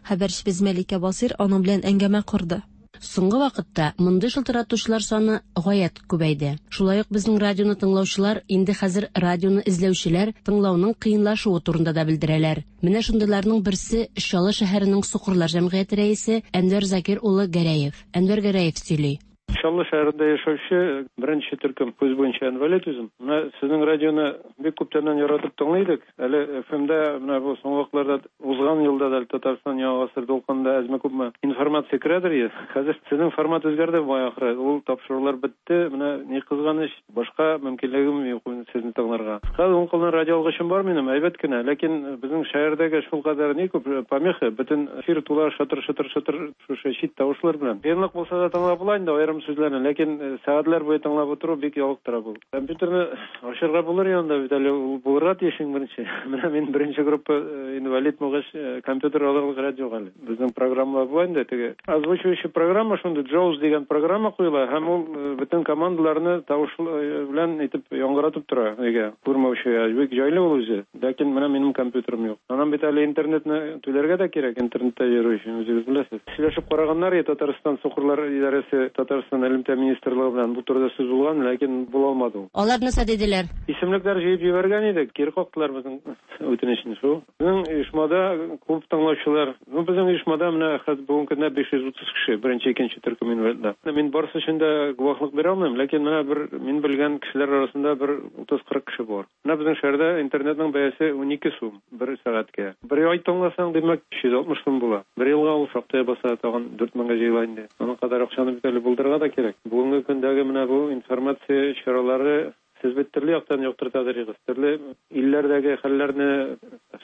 Speaker 10: Хәбәрчебез Мәликә Басир аның белән әңгәмә корды.
Speaker 18: Соңгы вакытта мондый шылтыратучылар саны гаять күбәйде. Шулай ук безнең радионы тыңлаучылар инде хәзер радионы эзләүчеләр тыңлауның кыенлашуы турында да белдерәләр. Менә шундыйларның берсе Чаллы шәһәренең Сукырлар җәмгыяте рәисе Әнвәр Закир улы Гәрәев. Әнвәр Гәрәев сөйли.
Speaker 19: Чаллы шәһәрендә яшәүче беренче төркем күз буенча инвалид үзем. Менә сезнең радионы бик күптәннән яратып тыңлый идек. Әле эф эм-дә менә бу соңгы вакытларда узган елда да Татарстан яңа гасыр дулкынында әзме-күпме информация керәдер иде. Хәзер сезнең формат үзгәрде бай ахыры. Ул тапшырулар бетте. Менә ни кызганыч, башка мөмкинлегем юк сезне тыңларга. Хәзер уң кулдан радио алгычым бар минем, әйбәт кенә, ләкин безнең шәһәрдәге шул кадәр ни күп помеха, бөтен эфир тула шатыр-шатыр-шатыр шушы чит тавышлар белән. Кыенлык булса да тыңлап була инде, аерым сүзләрне, ләкин сәгатьләр буе тыңлап утыру бик ялыктыра бу. Компьютерны ачырга булыр янда бит әле, ул булырга тиеш иң беренче. Менә мин беренче группа инвалид булгач, компьютер алырлык рәт юк әле. Безнең программалар була инде, теге озвучивающий программа шундый Jaws дигән программа куела һәм ул бөтен командаларны тавыш белән итеп яңгыратып тора. Нигә? Күрмәүче бик җайлы ул үзе. Ләкин менә минем компьютерым юк. Аннан бит әле интернетны түләргә дә кирәк, интернетта йөрү өчен үзегез беләсез. Сөйләшеп караганнар, Татарстан Сукырлар идарәсе, Татарстан элемтә министрлыгы белән бу турыда сүз булган, ләкин була алмады ул.
Speaker 18: Алар нәрсә диделәр?
Speaker 19: Исемлекләр җыеп җибәргән идек, кире кактылар безнең үтенечне шул. Безнең оешмада күп тыңлаучылар. Ну, безнең оешмада менә хәзер бүгенге көндә биш йөз утыз кеше, беренче, икенче төркем инвалидлар. Мин барысы өчен дә гуаһлык бирә алмыйм, ләкин менә бер мин белгән кешеләр арасында бер утыз-кырык кеше бар. Менә безнең шәһәрдә интернетның бәясе унике сум бер сәгатькә. Бер ай тыңласаң, димәк, өч йөз алтмыш сум була. Бер елга ул шактый баса, тагын дүрт меңгә җыела инде. Аның кадәр акчаны бит әле булдырырга да кирәк. Бүгенге көндәге менә бу информация чаралары сез бит төрле яктан яктыртадыр идегез. Төрле илләрдәге хәлләрне,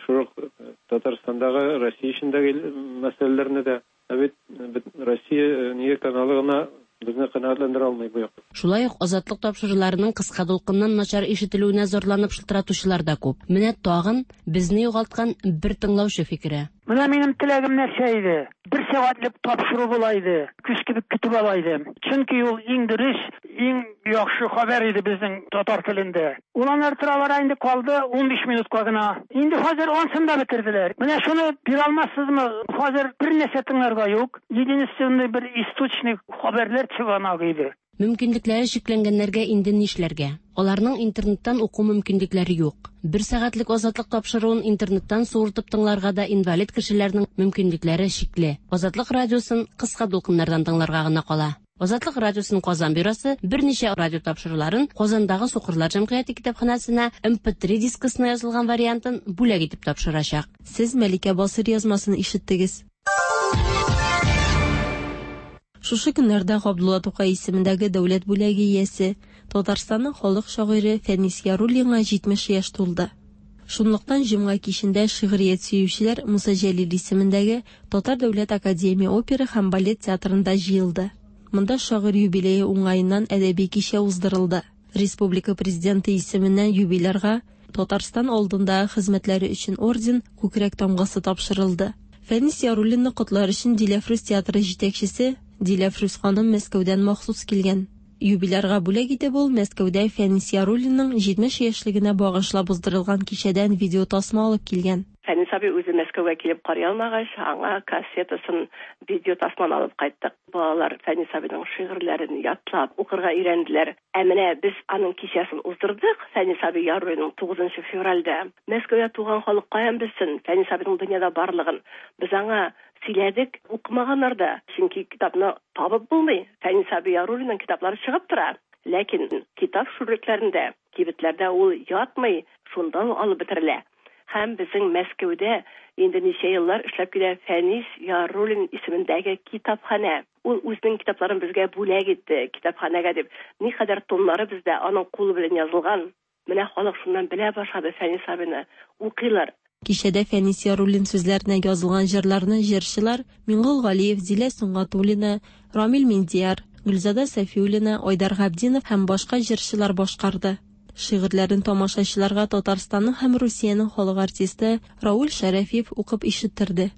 Speaker 19: шул ук Татарстандагы, Россия эчендәге мәсьәләләрне дә. Ә бит, бит Россия нигә каналы гына Безне канәгатьләндерә алмый бу як.
Speaker 18: Шулай ук Азатлык тапшыруларының кыска дулкыннан начар ишетелүенә зарланып шылтыратучылар да күп. Менә тагын безне югалткан бер тыңлаучы фикере.
Speaker 20: Менә минем теләгем нәрсә иде? Бер сәгатьлек тапшыру була иде. Көз кебек көтеп ала идем. Чөнки ул иң дөрес, иң яхшы хәбәр иде безнең татар телендә. Ул аннары тора-бара инде калды унбиш минутка гына. Инде хәзер ансын да бетерделәр. Менә шуны бирә алмассызмы? Хәзер бер нәрсә тыңларга юк. Единственный бер источник хәбәрләр чыганагы иде.
Speaker 18: Мөмкинлекләре чикләнгәннәргә инде нишләргә? Аларның интернеттан уку мөмкинлекләре юк. Бер сәгатьлек Азатлык тапшыруын интернеттан суыртып тыңларга да инвалид кешеләрнең мөмкинлекләре чикле. Азатлык радиосын кыска дулкыннардан тыңларга гына кала. Азатлык радиосының Казан бюросы берничә радио тапшыруларын Казандагы Сукырлар җәмгыяте китапханәсенә эм пэ три дискысына язылган вариантын бүләк итеп тапшырачак.
Speaker 10: Сез Мәликә Басыр язмасын ишеттегез. Шушы көннәрдә Габдулла Тукай исемендәге дәүләт бүләге иясе, Татарстанның халык шагыйре Фәнис Яруллинга җитмеш яшь тулды. Шунлыктан җомга кичендә шигърият сөючеләр Муса Җәлил исемендәге Татар дәүләт академия опера һәм балет театрында җыелды. Монда шагыйрь юбилее уңаеннан әдәби кичә уздырылды. Республика президенты исеменнән юбилярга Татарстан алдындагы хезмәтләре өчен орден күкрәк тамгасы тапшырылды. Фәнис Яруллинны котлар өчен Диләфрүз театры җитәкчесе Диләфрүз ханым Мәскәүдән махсус килгән. Юбилярга бүләк итеп ул Мәскәүдә Фәнис Яруллинның җитмеш яшьлегенә багышлап уздырылган кичәдән видеотасма алып килгән.
Speaker 21: Фәнис абый үзе Мәскәүгә килеп карый алмагач, аңа кассетасын, видеотасманы алып кайттык. Балалар Фәнис абыйның шигырьләрен ятлап укырга өйрәнделәр. Ә менә без аның кичәсен уздырдык Фәнис абый Яруллинның тугызынчы февральдә. Мәскәүдә туган халык каян белсен Фәнис абыйның дөньяда барлыгын. Без аңа сөйләдек, укымаганнар да, чөнки китапны табып булмый. Фәнис абый Яруллинның китаплары чыгып тора. Ләкин китап шүрлекләрендә, кибетләрдә ул ятмый, шунда ук алып бетерелә. Һәм безнең Мәскәүдә инде ничә еллар эшләп килә Фәнис Яруллин исемендәге китапханә. Ул үзенең китапларын безгә бүләк итте, китапханәгә дип. Никадәр томнары бездә аның кулы белән язылган. Менә халык шуннан белә башлады Фәнис абыйны. Укыйлар.
Speaker 10: Кичәдә Фәнис Яруллин сүзләренә язылган җырларны җырчылар Миңгол Галиев, Дилә Сөнгатуллина, Рамил Миндияр, Гөлзада Сафиуллина, Айдар Габдинов һәм башка җырчылар башкарды. Шигырьләрен тамашачыларга Татарстанның һәм Русиянең халык артисты Рауль Шәрәфиев укып ишеттерде.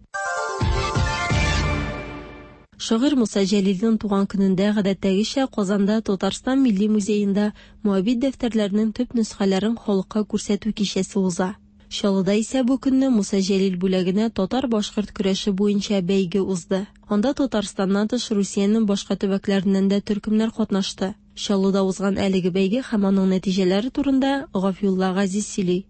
Speaker 10: Шагыйрь Муса Җәлилнең туган көнендә гадәттәгечә Казанда Татарстан Милли музеенда Моабит дәфтәрләренең төп нөсхәләрен халыкка күрсәтү кичәсе уза. Чаллыда исә бу көнне Муса Җәлил бүләгенә татар-башкорт көрәше буенча бәйге узды. Анда Татарстаннан тыш Русиянең башка төбәкләреннән дә төркемнәр катнашты. Чаллыда узган әлеге бәйге һәм аның нәтиҗәләре турында Гафиулла Газиз сөйли.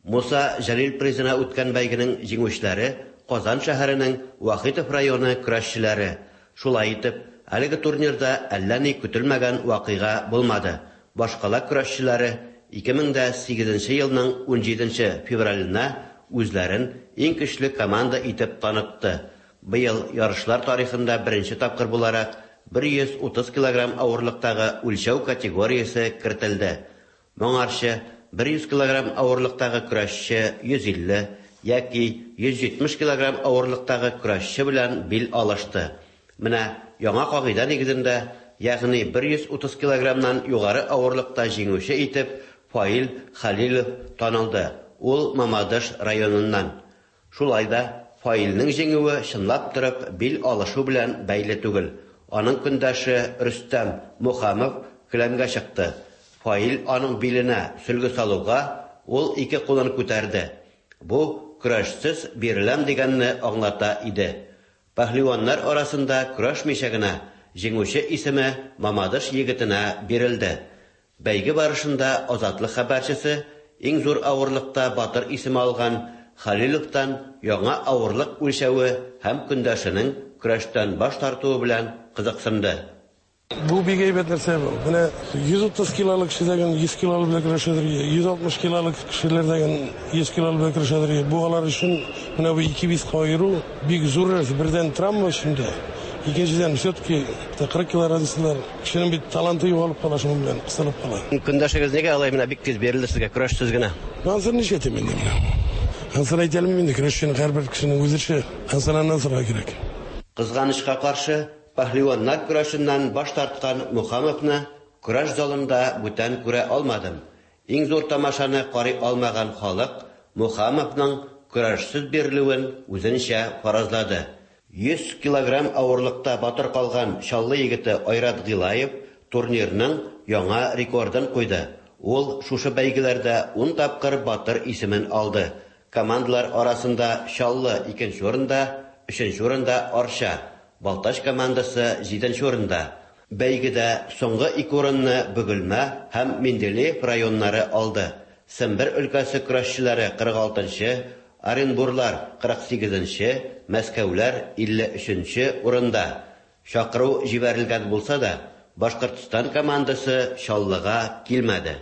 Speaker 22: Муса Җәлил призына үткән бәйгенең җиңүчеләре Казан шәһәренең Вахитов районы көрәшчеләре. Шулай итеп, әлеге турнирда әллә ни көтелмәгән вакыйга булмады. Башкала көрәшчеләре ике мең дә сигезенче елның унҗиденче февраленә үзләрен иң көчле команда итеп танытты. Быел ярышлар тарихында беренче тапкыр буларак бер йөз утыз килограмм авырлыктагы үлчәү категориясе кертелде. Моңарчы бер йөз килограмм авырлыктагы көрәшче йөз илле яки йөз җитмеш килограмм авырлыктагы көрәшче белән бил алышты. Менә яңа кагыйдә нигезендә, ягъни бер йөз утыз килограммнан югары авырлыкта җиңүче итеп Фаил Халилов танылды. Ул Мамадыш районыннан. Шулай да Фаилнең җиңүе чынлап торып бил алышу белән бәйле түгел. Аның көндәше Рөстәм Мухамов келәмгә чыкты. Фаил аның биленә сөлге салуга ул ике кулын күтәрде. Бу көрәшсез биреләм дигәнне аңлата иде. Пәһлеваннар арасында көрәшмичә генә җиңүче исеме Мамадыш егетенә бирелде. Бәйге барышында Азатлык хәбәрчесе иң зур авырлыкта батыр исеме алган Халиловтан яңа авырлык үлчәве һәм көндәшенең көрәштән баш тартуы белән кызыксынды.
Speaker 23: Бу бик әйбәт нәрсә бу. Менә йөз утыз килолык кешеләрдән йөз килолык белән көрәшәдер, йөз алтмыш килолык кешеләрдән йөз килолык белән көрәшәдер. Бу алар өчен менә бу ике вес аеру бик зур нәрсә. Бердән травма өчен дә, икенчедән все-таки кырык кило разницалар. Кешенең бит таланты югалып кала, шуның белән кысылып кала.
Speaker 22: Көндәшегез нигә алай менә бик тиз бирелде сезгә, көрәшсез генә?
Speaker 23: Ансын нишләтәм инде менә? Ансын әйтә алмыйм инде, көрәшченең һәрбер кешенең үз эше. Ансын аннан сорарга кирәк.
Speaker 22: Кызганычка каршы, Пәһлеваннар көрәшеннән баш тарткан Мухамовны көрәш залында бүтән күрә алмадым. Иң зур тамашаны карый алмаган халык Мухамовның көрәшсез бирелүен үзенчә фаразлады. Йөз килограмм авырлыкта батыр калган Чаллы егете Айрат Гыйлаев турнирның яңа рекордын куйды. Ул шушы бәйгеләрдә ун тапкыр батыр исемен алды. Командалар арасында Чаллы икенче урында, өченче урында Арча, Балтач командасы җиденче урында. Бәйгедә соңгы ике урынны Бөгелмә һәм Менделеев районнары алды. Сембер өлкәсе көрәшчеләре кырык алтынчы, Оренбурлар кырык сигезенче, Мәскәүләр илле өченче урында. Чакыру җибәрелгән булса да, Башкортстан командасы Чаллыга килмәде.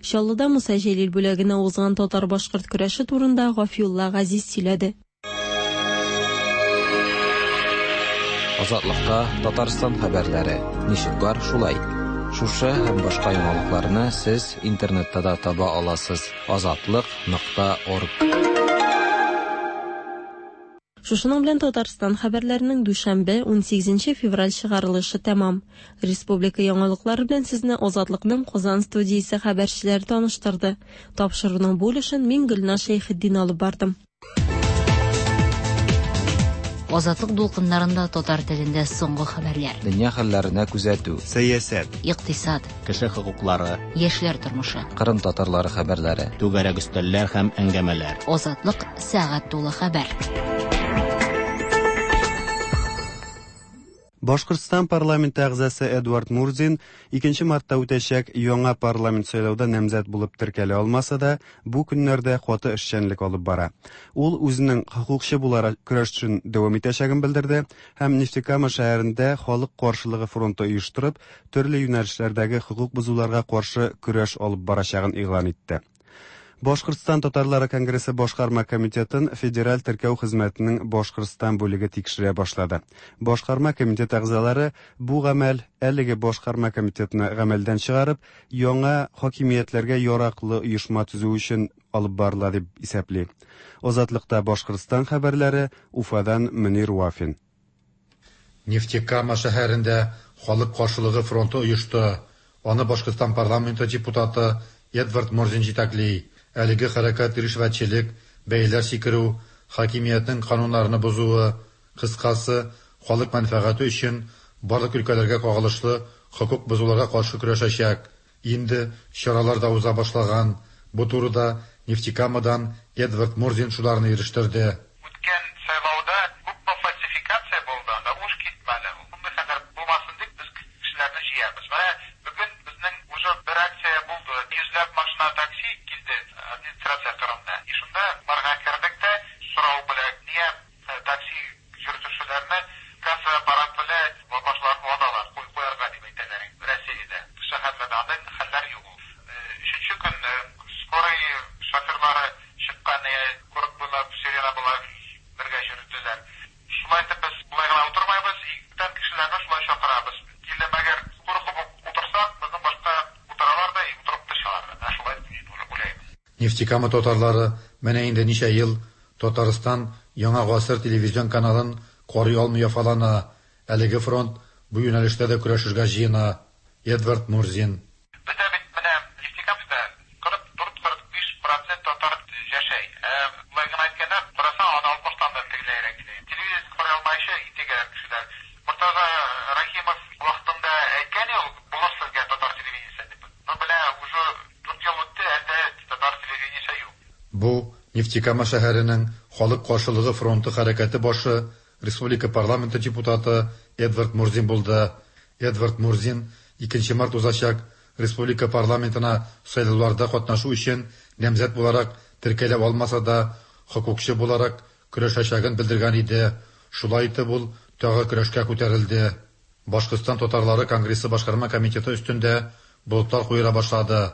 Speaker 10: Чаллыда Муса Җәлил бүләгенә узган татар-башкорт көрәше турында Гафиулла Газиз сөйләде.
Speaker 9: Азатлыкта Татарстан хәбәрләре. Ничек бар, шулай. Шушы һәм башка яңалыкларны сез интернетта да таба аласыз. Азатлык нокта орг.
Speaker 10: Шушының белән Татарстан хәбәрләренең дүшәмбе, унсигезенче февраль чыгарылышы тәмам. Республика яңалыклары белән сезне Азатлыкның Казан студиясе хәбәрчеләре таныштырды. Тапшыруның бу өлешен мин Гөлназ Шәйхетдин алып бардым.
Speaker 7: Азатлык дулкыннарында татар телендә соңгы хәбәрләр.
Speaker 9: Дөнья хәлләренә күзәтү.
Speaker 2: Сәясәт.
Speaker 7: Икътисад.
Speaker 1: Кеше хокуклары.
Speaker 7: Яшьләр тормышы.
Speaker 9: Кырым татарлары хәбәрләре.
Speaker 1: Түгәрәк өстәлләр һәм әңгәмәләр.
Speaker 7: Азатлык сәгать тулы хәбәр.
Speaker 2: Башкортстан парламенты әгъзасы Эдуард Мурзин икенче мартта үтәчәк яңа парламент сайлауда намзәт булып теркәлә алмаса да, бу көннәрдә каты эшчәнлек алып бара. Ул үзенең хокукчы буларак көрәшен дәвам итәчәген белдерде һәм Нефтекама шәһәрендә халык каршылыгы фронты оештырып, төрле юнәлешләрдәге хокук бозуларга каршы көрәш алып барачагын игълан итте. Башкортстан Татарлары Конгрессы Башкарма комитетын Федераль теркәү хезмәтенең Башкортстан бүлеге тикшерә башлады. Башкарма комитет әгъзалары бу гамәл әлеге Башкарма комитетны гамәлдән чыгарып, яңа хакимиятләргә яраклы оешма төзү өчен алып барыла дип исәпли. Азатлыкта Башкортстан хәбәрләре Уфадан Мөнир Вафин.
Speaker 3: Нефтекама шәһәрендә халык каршылыгы фронты оешты. Аны Башкортстан парламенты депутаты Эдвард Мурзин җитәкли. Әлеге хәрәкәт ришвәтчелек, бәяләр сикерү, хакимиятнең кануннарны бозуы, кыскасы, халык мәнфәгате өчен барлык өлкәләргә кагылышлы хокук бозуларга каршы көрәшәчәк. Инде чаралар да уза башлаган. Бу турыда Нефтекамадан Эдвард Мурзин шуларны ирештерде.
Speaker 4: Үткән сайлауда күпме фальсификация булды, анда уш китмәде. Мондый хәлләр булмасын дип без кешеләрне җыябыз. Менә бүген безнең уже бер акция булды. Йөзләп машина такси килде администрация кырында. И шунда барга кердек тә сорау белән, нигә такси йөртүчеләрне касса аппарат белән башларын ваталар, куй куярга дип әйтәләр. Россиядә шәһәрләрдә андый хәлләр юк. Өченче көн скорый шоферлары чыккан, курык буйлап, сирена буйлап бергә йөрделәр. Шулай итеп без болай гына утырмайбыз, бүтән кешеләрне шулай чакырабыз. Килде мәгәр куркып утырсак, безнең башка утыралар да утырып төшәләр. Менә шулай уйлыйм.
Speaker 3: Нефтекама татарлары менә инде ничә ел Татарстан Яңа гасыр телевизион каналын карый алмый яфалана. Әлеге фронт бу юнәлештә дә көрәшергә җыена. Эдвард Мурзин.
Speaker 4: Бездә бит менә Нефтекамскта кырык дүрт-кырык биш процент татар яшәй. Болай гына әйткәндә, карасаң, аны алтмыштан да тегеләйрәк иде. Телевизор карый алмаючы интегәләр кешеләр. Мортаза Рахимов вакытында әйткән ул, булыр сезгә татар телевидениесе дип. Но белә, уже дүрт ел үтте, әле татар телевидениесе юк.
Speaker 3: Бу Нефтекама шәһәренең халык каршылыгы фронты хәрәкәте башы, Республика парламенты депутаты Эдвард Мурзин булды. Эдвард Мурзин икенче март узачак Республика парламентына сайлауларда катнашу өчен намзәт буларак теркәлә алмаса да, хокукчы буларак көрәшәчәген белдергән иде. Шулай итеп ул тагы көрәшкә күтәрелде. Башкортстан татарлары Конгрессы башкарма комитеты өстендә болытлар куера башлады.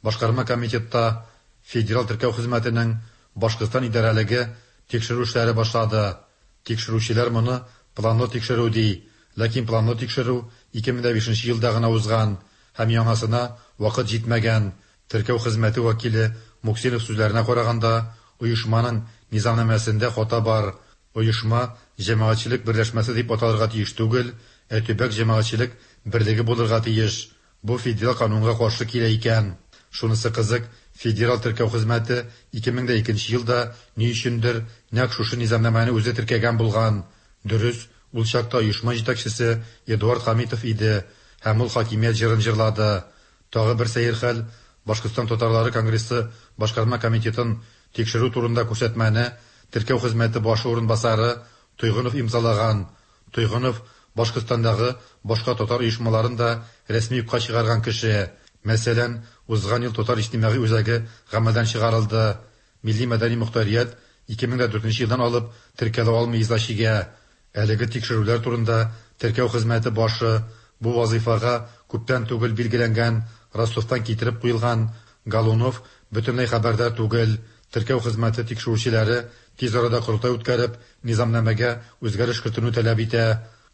Speaker 3: Башкарма комитетта Федераль теркәү хезмәтенең Башкортстан идарәлеге тикшерү эшләре башлады. Тикшерүчеләр моны планлы тикшерү ди, ләкин планлы тикшерү ике мең бишенче елда гына узган һәм яңасына вакыт җитмәгән. Теркәү хезмәте вәкиле Муксинов сүзләренә караганда, оешманың низамнамәсендә хата бар. Оешма җәмәгатьчелек берләшмәсе дип аталырга тиеш түгел, ә төбәк җәмәгатьчелек берлеге булырга тиеш. Бу федераль канунга каршы килә икән. Шунысы кызык, федераль теркәү хезмәте ике мең дә икенче елда ни өчендер нәкъ шушы низамнамәне үзе теркәгән булган. Дөрес, ул чакта оешма җитәкчесе Эдуард Хамитов иде һәм ул хакимият җырын җырлады. Тагы бер сәер хәл, Башкортстан татарлары конгрессы башкарма комитетын тикшерү турында күрсәтмәне теркәү хезмәте башы урынбасары Тойгынов имзалаган. Тойгынов Башкортстандагы башка татар оешмаларын да рәсми юкка чыгарган кеше. Мәсәлән, узган ел татар иҗтимагый үзәге гамәлдән чыгарылды. Милли мәдәни мохтарият ике мең дә дүртенче елдан алып теркәлә алмый иза чигә. Әлеге тикшерүләр турында теркәү хезмәте башы бу вазифага күптән түгел билгеләнгән Ростовтан китереп куелган Галунов бөтенләй хәбәрдар түгел. Теркәү хезмәте тикшерүчеләре тиз арада корылтай үткәреп, низамнамәгә үзгәреш кертүне таләп итә.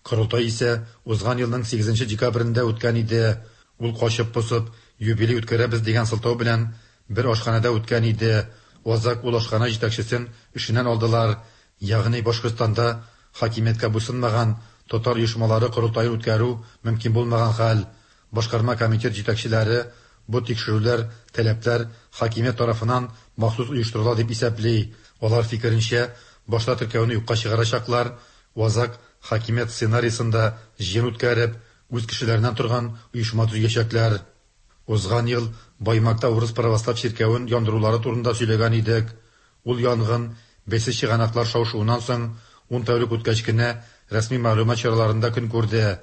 Speaker 3: Корылтай исә узган елның сигезенче декабрендә үткән иде. Ул качып-посып юбилей үткәрәбез дигән сылтау белән бер ашханада үткән иде. Азак ул ашхана җитәкчесен эшеннән алдылар. Ягъни Башкортстанда хакимияткә буйсынмаган татар оешмалары корылтайын үткәрү мөмкин булмаган хәл. Башкарма комитет җитәкчеләре бу тикшерүләр, таләпләр хакимият тарафыннан махсус оештырыла дип исәпли. Алар фикеренчә, башта теркәүне юкка чыгарачаклар, азак хакимият сценарийсында җыен үткәреп, үз кешеләреннән торган оешма төзәчәкләр. Узган ел Баймакта урыс православ чиркәвен яндырулары турында сөйләгән идек. Ул янгын бәйсез чыганаклар шау-шуыннан соң ун тәүлек үткәч кенә рәсми мәгълүмат чараларында көн күрде.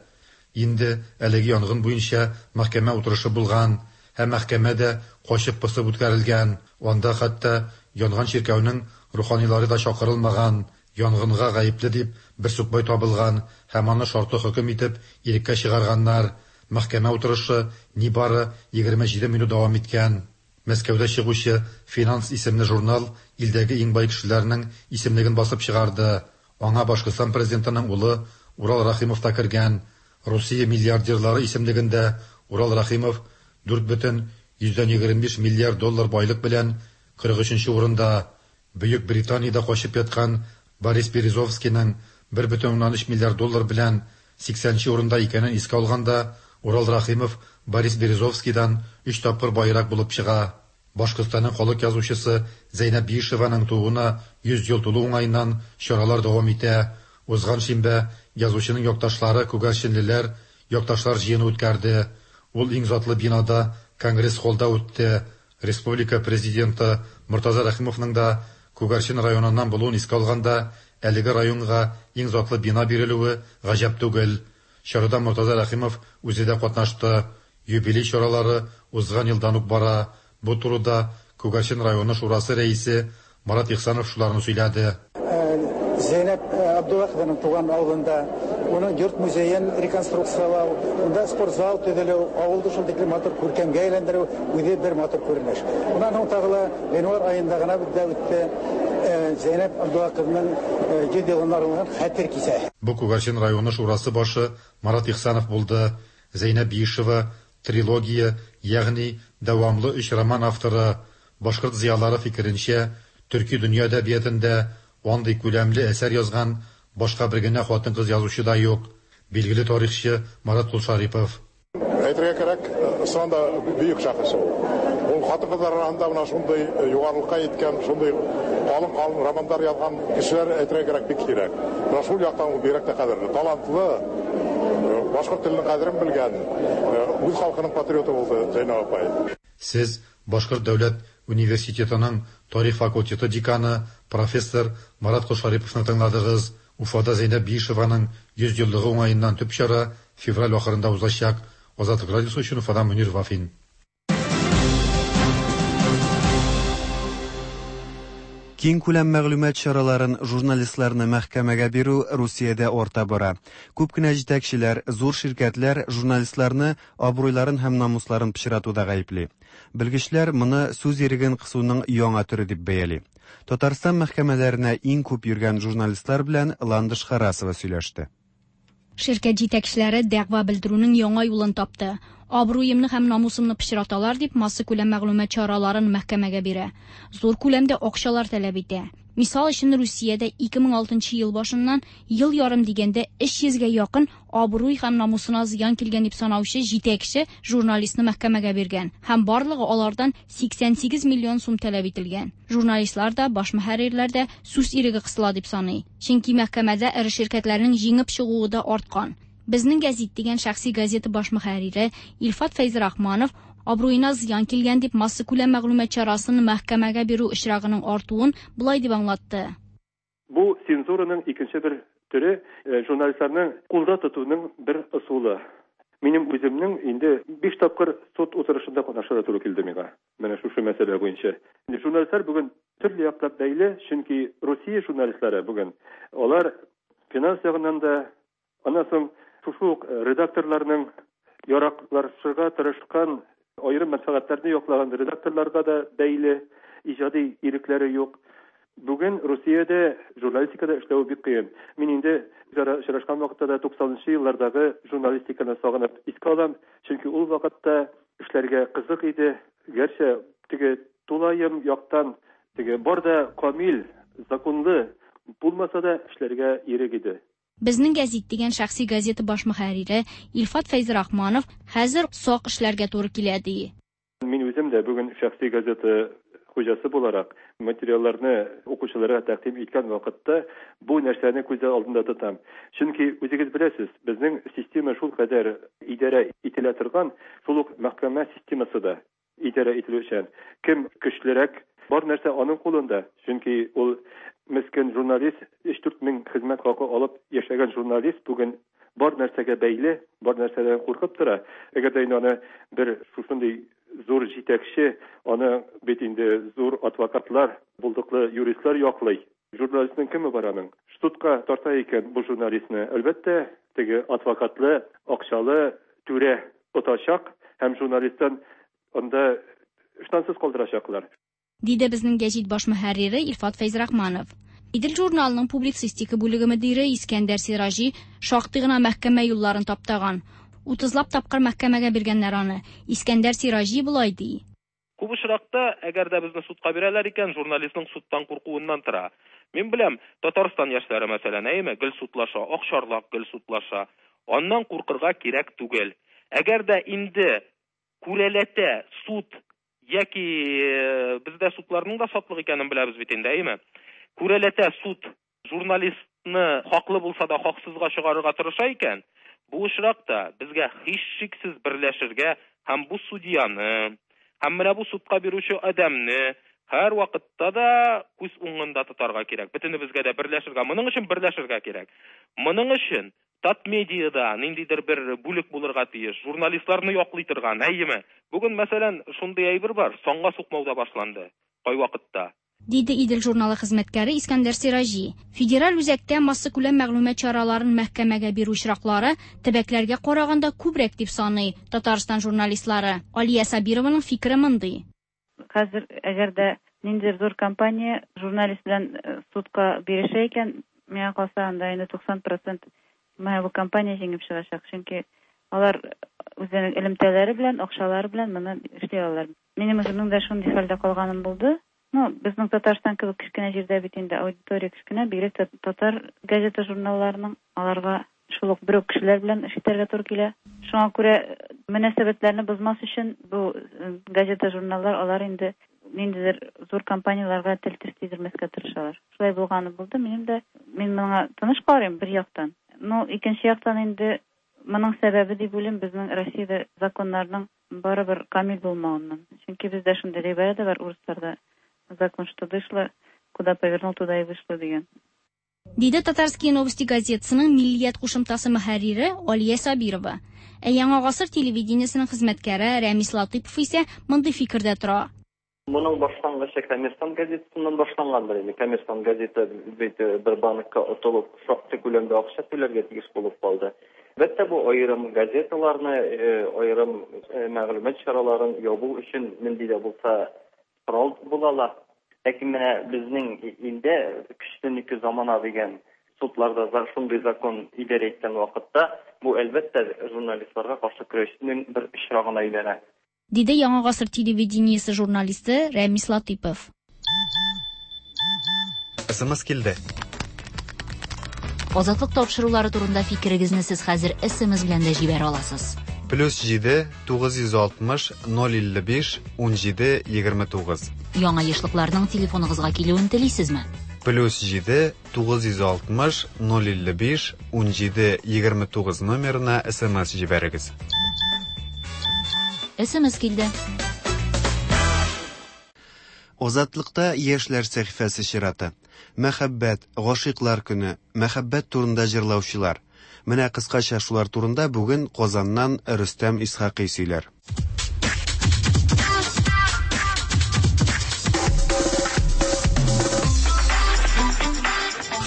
Speaker 3: Инде әлеге янгын буенча мәхкәмә утырышы булган һәм мәхкәмә дә качып-посып үткәрелгән. Анда хәтта янган чиркәүнең руханилары да чакырылмаган. Янгынга гаепле дип бер сукбай табылган һәм аны шартлы хөкем итеп иреккә чыгарганнар. Мәхкәмә утырышы нибары егерме җиде минут дәвам иткән. Мәскәүдә чыгучы «Финанс» исемле журнал илдәге иң бай кешеләрнең исемлеген басып чыгарды. Аңа Башкортстан президентының улы Урал Рахимов та кергән. Русия миллиардерлары исемлегендә Урал Рахимов дүрт бөтен йөздән егерме биш миллиард доллар байлык белән кырык өченче урында. Бөек Британиядә качып яткан Борис Березовскийның бер бөтен уннан өч миллиард доллар белән сиксәнче урында икәнен искә алганда, Урал Рахимов Борис Березовскийдан өч тапкыр байрак булып чыга. Башкортстанның халык язучысы Зәйнәб Биишеваның тууына йөз ел тулу уңаеннан чаралар дәвам итә. Узган шимбә язучының якташлары күгәрченлеләр якташлар җыены үткәрде. Ул иң затлы бинада конгресс-холлда үтте. Республика президенты Мортаза Рәхимовның да Күгәрчен районыннан булуын искә алганда, әлеге районга иң затлы бина бирелүе гаҗәп түгел. Чарада Мортаза Рәхимов үзе дә катнашты. Юбилей чаралары узган елдан ук бара. Бу турыда Күгәрчен районы шурасы рәисе Марат Ихсанов шуларны сөйләде.
Speaker 5: Зәйнәб Абдуллахованың туган авылында уның йорт музеен реконструкциялау, унда спортзал төзелү, авылды шул тиклем матур күркәмгә әйләндерү үзе бер матур күренеш. Уннан һуң тагы ла гыйнвар аенда гына бездә үтте Зәйнәб Абдуллахованың йөз елына арналган хәтер кисәсе.
Speaker 3: Бу Күгәрчен районы шурасы башы Марат Ихсанов булды. Зәйнәб Биишева трилогия, ягъни дәвамлы өч роман авторы. Башкорт зыялары фикеренчә, төрки дөнья әдәбиятында андый күләмле әсәр язган башка бер генә хатын-кыз язучы да юк. Билгеле тарихчы Марат Кулшарипов.
Speaker 6: Әйтергә кирәк, чыннан да бөек шәхес ул. Ул хатын-кызлар арасында менә шундый югарылыкка җиткән, шундый калын-калын романнар язган кешеләр әйтергә кирәк бик сирәк. Менә шул яктан ул бигрәк тә кадерле, талантлы, башкорт теленең кадерен белгән, үз халкының патриоты булды Зәйнәб апай.
Speaker 3: Сез Башкорт дәүләт университетының тарих факультеты деканы профессор Марат Кулшариповны тыңладыгыз. Уфада Зәйнәб Биишеваның йөз еллыгы уңаеннан төп чара февраль ахырында узачак. Азатлык радиосы өчен Уфадан Мөнир Вафин.
Speaker 2: Киң күләм мәгълүмат чараларын журналистларны мәхкәмәгә бирү Русиядә арта бара. Күп кенә җитәкчеләр, зур ширкәтләр журналистларны абруйларын һәм намусларын пычратуда гаепли. Белгечләр моны сүз иреген кысуның яңа төре дип бәяли. Татарстан мәхкәмәләренә иң күп йөргән журналистлар белән Ландыш Харасова сөйләште.
Speaker 8: Ширкәт җитәкчеләре дәгъва белдерүнең яңа юлын тапты. Абруемны һәм намусымны пычраталар дип масса күләм мәгълүмат чараларын мәхкәмәгә бирә. Зур күләмдә акчалар таләп итә. Мисал өчен, Русиядә ике мең алтынчы ел башыннан ел ярым дигәндә өч йөзгә якын абруй һәм намусына зыян килгән дип санаучы җитәкче журналистны мәхкәмәгә биргән һәм барлыгы алардан сиксән сигез миллион сум таләп ителгән. Журналистлар да, баш мөхәррирләр дә сүз иреге кысыла дип саный. Чөнки мәхкәмәдә эре ширкәтләрнең җиңеп чыгуы да арткан. Безнең гәзит дигән шәхси газета баш мөхәррире Илфат Фәйзрахманов абруена зыян килгән дип массакүләм мәгълүмат чарасын мәхкәмәгә бирү очрагының артуын болай дип аңлатты.
Speaker 11: Бу цензураның икенче бер төре, журналистларның кулда тотуның бер ысулы. Минем үземнең инде биш тапкыр суд утырышында катнашырга туры килде миңа. Менә шушы мәсьәлә буенча. Инде журналистлар бүген төрле яклап бәйле, чөнки Русия журналистлары бүген алар финанс ягыннан да, аннан соң шушы ук редакторларның яраклашырга тырышкан аерым мәнфәгатьләрне яклаган редакторларга да бәйле, иҗади ирекләре юк. Бүген Русиядә журналистикада эшләү бик кыен. Мин инде очрашкан вакытта да туксанынчы еллардагы журналистиканы сагынып искә алам, чөнки ул вакытта эшләргә кызык иде. Гәрчә теге тулаем яктан теге бар да камил, законлы булмаса да эшләргә ирек иде.
Speaker 8: Безнең гәзит дигән шәхси газета баш мөхәррире Илфат Фәйзрахманов хәзер сак эшләргә туры килә ди.
Speaker 11: Мин үзем дә бүген шәхси газета хуҗасы буларак материалларны укучыларга тәкъдим иткән вакытта бу нәрсәне күз алдында тотам. Чөнки үзегез беләсез, безнең система шул кадәр идарә ителә торган, шул ук мәхкәмә системасы да идарә ителүчән. Кем көчлерәк, бар нәрсә аның кулында. Чөнки ул мескен журналист, өч-дүрт мең хезмәт хакы алып яшәгән журналист бүген бар нәрсәгә бәйле, бар нәрсәдән куркып тора. Әгәр дә инде аны бер шушындый зур җитәкче, аны бит инде зур адвокатлар, булдыклы юристлар яклый. Журналистның кеме бар аның? Судка тарта икән бу журналистны, әлбәттә, теге адвокатлы, акчалы түрә отачак һәм журналисттан анда ыштансыз калдырачаклар.
Speaker 8: Диде безнең гәзит баш мөхәррире Илфат Фәйзрахманов. Идел журналының публицистика бүлеге мөдире Искәндәр Сираҗи шактый гына мәхкәмә юлларын таптаган. Утызлап тапкыр мәхкәмәгә биргәннәр аны. Искәндәр Сираҗи болай ди.
Speaker 12: Күп очракта, әгәр дә безне судка бирәләр икән, журналистның судтан куркуыннан тора. Мин беләм, Татарстан яшьләре мәсәлән, әйме, гел судлаша, Акчарлак гел судлаша. Аннан куркырга кирәк түгел. Әгәр дә инде күрәләтә суд яки бездә судларның да сатлык икәнен беләбез бит инде, әйме? Күрәләтә суд журналистны хаклы булса да хаксызга чыгарырга тырыша икән, бу очракта безгә һичшиксез берләшергә һәм бу судьяны, һәм менә бу судка бирүче адәмне һәр вакытта да күз уңында тотарга кирәк. Бөтенебезгә дә берләшергә, моның өчен берләшергә кирәк. Моның өчен Татмедиада ниндидер бер бүлек булырга тиеш, журналистларны яклый торган, әйеме? Бүген, мәсәлән, шундый әйбер бар, санга сукмау да башланды кайвакытта.
Speaker 8: Диде Идел журналы хезмәткәре Искәндәр Сираҗи. Федераль үзәктә массакүләм мәгълүмат чараларын мәхкәмәгә бирү очраклары төбәкләргә караганда күбрәк дип саный Татарстан журналистлары. Алия Сабированың фикере мондый.
Speaker 13: Хәзер әгәр дә ниндидер зур компания журналист белән судка бирешә икән, миңа калса анда инде туксан процент менә бу компания җиңеп чыгачак, чөнки алар үзенең элемтәләре белән, акчалары белән моны эшли алалар. Минем үземнең дә шундый хәлдә калганым булды. Ну, безнең Татарстан кебек кечкенә җирдә бит инде аудитория кечкенә, бигрәк тә татар газета журналларының аларга шул ук бер үк кешеләр белән эш итәргә туры килә. Шуңа күрә мөнәсәбәтләрне бозмас өчен бу газета журналлар алар инде ниндидер зур компанияларга тел теш тидермәскә тырышалар. Шулай булганы булды. Минем дә мин моңа тыныч карыйм бер яктан. Ну, икенче яктан инде моның сәбәбе дип уйлыйм безнең Россиядә законнарның барыбер камил булмавыннан. Чөнки бездә шундый гыйбарә дә бар урысларда: закон что дышло, куда повернул, туда и вышло дигән.
Speaker 8: Диде Татарские новости газетасының Миллият кушымтасы мөхәррире Алия Сабирова. Ә Яңа гасыр телевидениесының хезмәткәре Рәмис Латыпов исә мондый фикердә тора.
Speaker 24: Моның башлангычы Коммерсант газетасыннан башлангандыр инде. Коммерсант газета бит бер банкка отылып, шактый күләмдә акча түләргә тиеш булып калды. Әлбәттә, бу аерым газеталарны, аерым мәгълүмат чараларын ябу өчен нинди дә булса корал була ала. Ләкин менә безнең илдә көчтән ике замана дигән судларда шундый закон идарә иткән вакытта бу әлбәттә журналистларга каршы көрәшнең бер очрагына әйләнә.
Speaker 8: Диде Яңа гасыр телевидениесе журналисты Рәмис Латыпов.
Speaker 2: СМС килде.
Speaker 7: Азатлык тапшырулары турында фикерегезне сез хәзер СМС белән дә җибәрә аласыз.
Speaker 2: Плюс җиде тугыз йөз алтмыш ноль илле биш ун җиде егерме тугыз.
Speaker 7: Яңа ешлыкларның телефоныгызга килүен телисезме?
Speaker 2: Плюс җиде тугыз йөз алтмыш ноль илле биш ун җиде егерме тугыз номерына СМС җибәрегез.
Speaker 7: СМС килде.
Speaker 2: Азатлыкта яшьләр сәхифәсе чираты. Мәхәббәт, гашыйклар көне, мәхәббәт турында җырлаучылар. Менә кыскача шулар турында бүген Казаннан Рөстәм Исхакый сөйләр.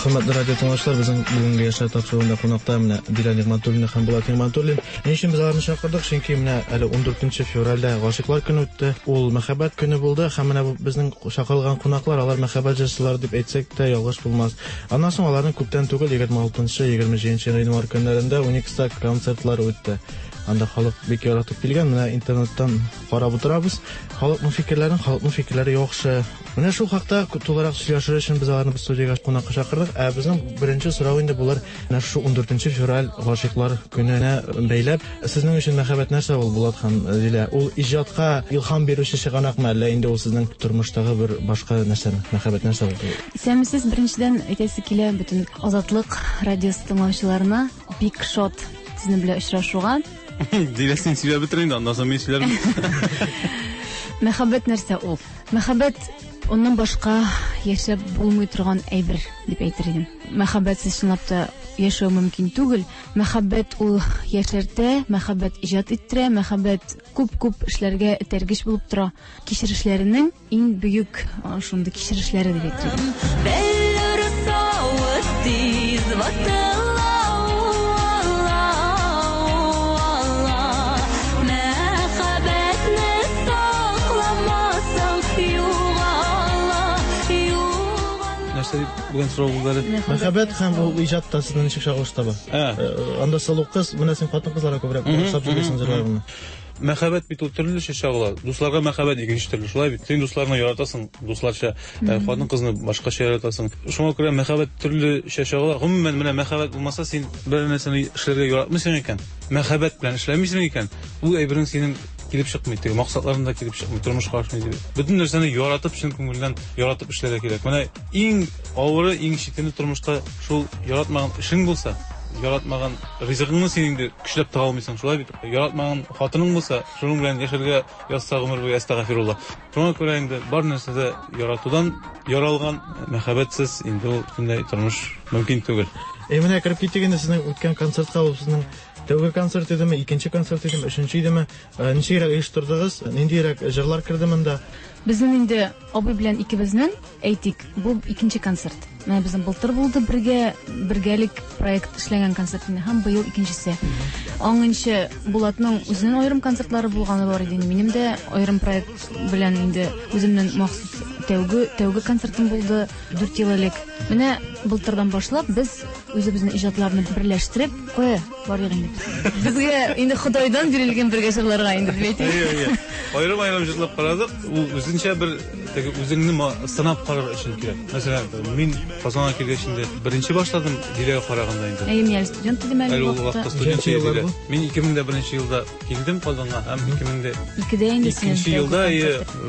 Speaker 14: Хөрмәтле радио тыңлаучылар, безнең бүгенге яшьләр тапшыруында кунакта менә Дилә Нигъмәтуллина һәм Булат Нигъмәтуллин. Ни өчен без аларны чакырдык? Чөнки менә әле ун дүртенче февральдә гашыйклар көне үтте. Ул мәхәббәт көне булды һәм менә бу безнең чакырылган кунаклар, алар мәхәббәт җырчылары дип әйтсәк тә ялгыш булмас. Аннан соң аларның күптән түгел егерме алтынчы, егерме җиденче гыйнвар көннәрендә Уникста концертлары үтте. Анда халык бик яратып килгән. Менә интернеттан карап утырабыз. Халыкның фикерләрен, халыкның фикерләре яхшы. Менә шул хакта тулырак сөйләшер өчен без аларны студиягә кунакка чакырдык. Ә безнең беренче сорау инде булыр, менә шу ун дүртенче февраль гашыйклар көненә бәйләп, сезнең өчен мәхәббәт нәрсә ул, Булат һәм Дилә? Ул иҗатка илһам бирүче чыганакмы, әллә инде ул сезнең тормыштагы бер башка нәрсәме? Мәхәббәт нәрсә ул?
Speaker 15: Исәнмесез, беренчедән әйтәсе килә бөтен Азатлык радиосы тыңлаучыларына бик шат сезнең белән очрашуга.
Speaker 16: Дилә, син сөйләп бетер инде, аннан соң мин сөйләрмен.
Speaker 15: Мәхәббәт нәрсә ул? Мәхәббәт оннан башка яшәп булмый торган әйбер дип әйтер идем. Мәхәббәтсез чынлап та яшәү мөмкин түгел. Мәхәббәт ул яшәртә, мәхәббәт иҗат иттерә, мәхәббәт күп-күп эшләргә этәргеч булып тора. Кичерешләренең иң бөек шундый кичерешләре дип әйтер идем.
Speaker 17: Бәллүр савыт тиз ватыла.
Speaker 16: Бүген сорау булды әле.
Speaker 14: Мәхәббәт һәм ул иҗатта сезнең ничек чагылыш таба? Анда сылу кыз, менә син хатын-кызларга күбрәк охшап сөйлисең җырларыңны.
Speaker 16: Мәхәббәт бит ул төрлечә чагыла. Дусларга мәхәббәт икенче төрле, шулай бит. Син дусларны яратасың, дусларча, хатын-кызны башкача яратасың. Шуңа күрә мәхәббәт төрлечә чагыла. Гомумән, менә мәхәббәт булмаса, син бер нәрсәне эшләргә яратмыйсың икән, мәхәббәт белән эшләмисең икән, ул әйбернең синең килеп чыкмый, теге максатларың да килеп чыкмый, тормышка ашмый дип. Бөтен нәрсәне яратып, чын күңелдән яратып эшләргә кирәк. Менә иң авыры, иң читене тормышта шул яратмаган эшең булса, яратмаган ризыгыңны син инде көчләп таба алмыйсың, шулай бит. Яратмаган хатының булса, шуның белән яшәргә язса гомер буе, әстәгъфирулла. Шуңа күрә инде бар нәрсә дә яратудан яралган, мәхәббәтсез инде ул бөтенләй тормыш мөмкин түгел.
Speaker 14: Ә менә кереп киттек инде сезнең үткән концертка, ул сезнең тәүге концерт идеме, икенче концерт идеме, өченче идеме? Ничегрәк оештырдыгыз? Ниндирәк җырлар керде монда?
Speaker 15: Безнең инде абый белән икебезнең, әйтик, бу икенче концерт. Менә безнең былтыр булды бергә, бергәлек проект эшләгән концерт инде һәм быел икенчесе. Аңынчы Булатның үзенең аерым концертлары булганы бар иде. Минем дә аерым проект белән инде үземнең махсус тәүге, тәүге концертым булды дүрт ел элек. Менә былтырдан башлап без үзебезнең иҗатларны берләштереп, кая барыйк инде. Безгә инде Ходайдан бирелгән бергә җырларга инде дип әйтик.
Speaker 16: Әйе, әйе. Аерым-аерым җырлап карадык. Ул үзенчә бер теге үзеңне сынап карар өчен кирәк. Мәсәлән, мин Казанга килгәч инде беренче башладым Диләгә караганда инде.
Speaker 15: Әйе, мин әле студент идем әле
Speaker 16: ул вакытта. Студент идем. Мин ике мең дә беренче елда килдем Казанга һәм ике мең дә
Speaker 15: икедә инде син.
Speaker 16: Икенче елда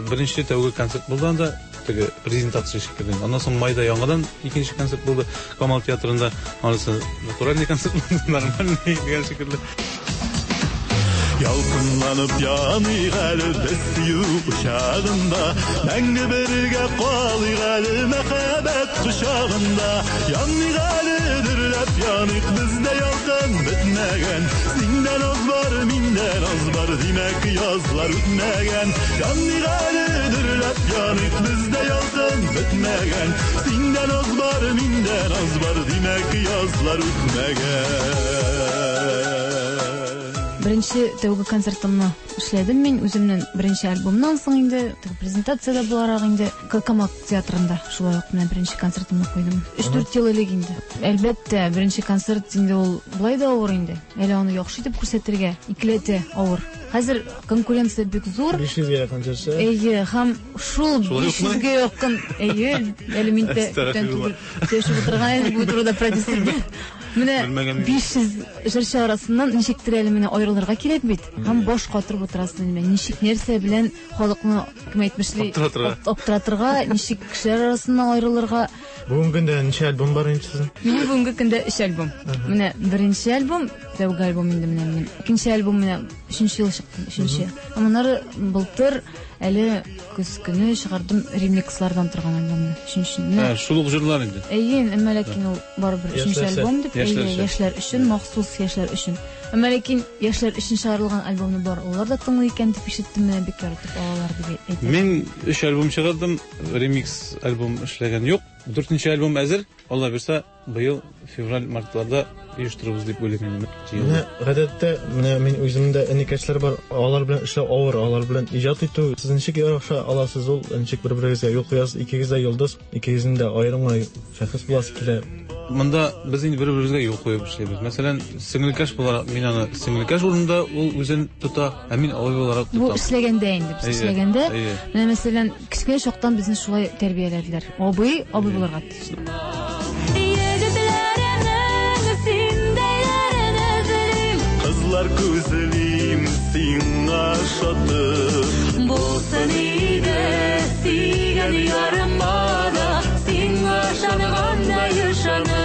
Speaker 16: беренче тәүге концерт булды анда, теге презентация шикелле. Аннан соң майда яңадан икенче концерт булды Камал театрында. Анысы натуральный концерт булды, нормальный дигән шикелле.
Speaker 25: Ялкынланып яныйк әле без сөю кочагында, мәңге бергә калыйк әле мәхәббәт кочагында. Яныйк әле, дөрләп яныйк, бездә ялкын бетмәгән. Синдә наз бар, миндә наз бар, димәк язлар үтмәгән. Яныйк әле, дөрләп яныйк, бездә ялкын бетмәгән. Синдә наз бар, миндә наз бар, димәк язлар үтмәгән.
Speaker 15: Беренче тәүге концертымны эшләдем мин үземнең беренче альбомнан соң инде, теге презентацияда буларак инде Калкамак театрында шулай ук менә беренче концертымны куйдым. Өч-дүрт ел элек инде. Әлбәттә, беренче концерт инде ул болай да авыр инде. Әле аны яхшы итеп күрсәтергә икеләтә авыр. Хәзер конкуренция бик зур.
Speaker 14: биш йөзгә якын җырчы.
Speaker 15: Әйе, һәм шул
Speaker 16: Шулай
Speaker 15: биш
Speaker 16: укмы?
Speaker 15: йөзгә якын, әйе, әле мин дә
Speaker 16: Әстәгъфирулла.
Speaker 15: күптән түгел сөйләшеп утырган идем бу турыда продюсер белән. Менә
Speaker 16: Белмәгән идем.
Speaker 15: биш йөз җырчы арасыннан ничектер әле менә аерылырга кирәк бит. Һәм баш катырып утырасың инде. Ничек нәрсә белән халыкны, кем әйтмешли,
Speaker 16: Аптыратырга.
Speaker 15: аптыратырга, ничек кешеләр арасыннан аерылырга.
Speaker 14: Бүгенге көндә ничә альбом бар инде сезнең?
Speaker 15: Минем бүгенге көндә өч альбом. Менә беренче альбом, тәүге альбом инде менә минем. Икенче альбом менә өченче ел чыкты, өченче. Аннары былтыр әле көз көне чыгардым ремикслардан торган альбомны, өченче. Менә
Speaker 16: Ә, шул ук җырлар инде.
Speaker 15: Әйе, әмма ләкин ул барыбер өченче
Speaker 14: Яшьләрчә.
Speaker 15: альбом дип,
Speaker 16: Яшьләр
Speaker 15: әйе,
Speaker 16: өчен.
Speaker 15: яшьләр өчен, махсус яшьләр өчен. Әмма ләкин яшьләр өчен чыгарылган альбомны бар, алар да тыңлый икән дип ишеттем, менә бик яратып алалар дип әйтә.
Speaker 16: Мин өч альбом чыгардым, ремикс альбом эшләгән юк. Дүртенче альбом әзер. Алла бирсә, быел февраль-мартларда оештырырбыз дип уйлыйм инде.
Speaker 14: Менә гадәттә, менә мин үземдә энекәшләр бар, алар белән эшләү авыр, алар белән иҗат итү. Сез ничек яраша аласыз ул, ничек бер-берегезгә юл куясыз, икегез дә йолдыз, икегезнең дә аерым гына шәхес буласы килә.
Speaker 16: Монда без инде бер-беребезгә юл куеп эшлибез. Мәсәлән, сеңелкәш буларак мин аны сеңелкәш урынында ул үзен тота, ә мин абый буларак
Speaker 15: Бу
Speaker 16: тотам.
Speaker 15: эшләгәндә инде, без
Speaker 16: Әйе,
Speaker 15: эшләгәндә,
Speaker 16: әйе.
Speaker 15: менә мәсәлән, кечкенә чактан безне шулай тәрбияләделәр. Абый, абый буларга тиеш.
Speaker 17: Егетләренең синдәйләрен эзлим.
Speaker 25: Кызлар күзлим сиңа шатып.
Speaker 17: Булсын иде сөйгән ярыма да сиңа ышангандай ышаныч.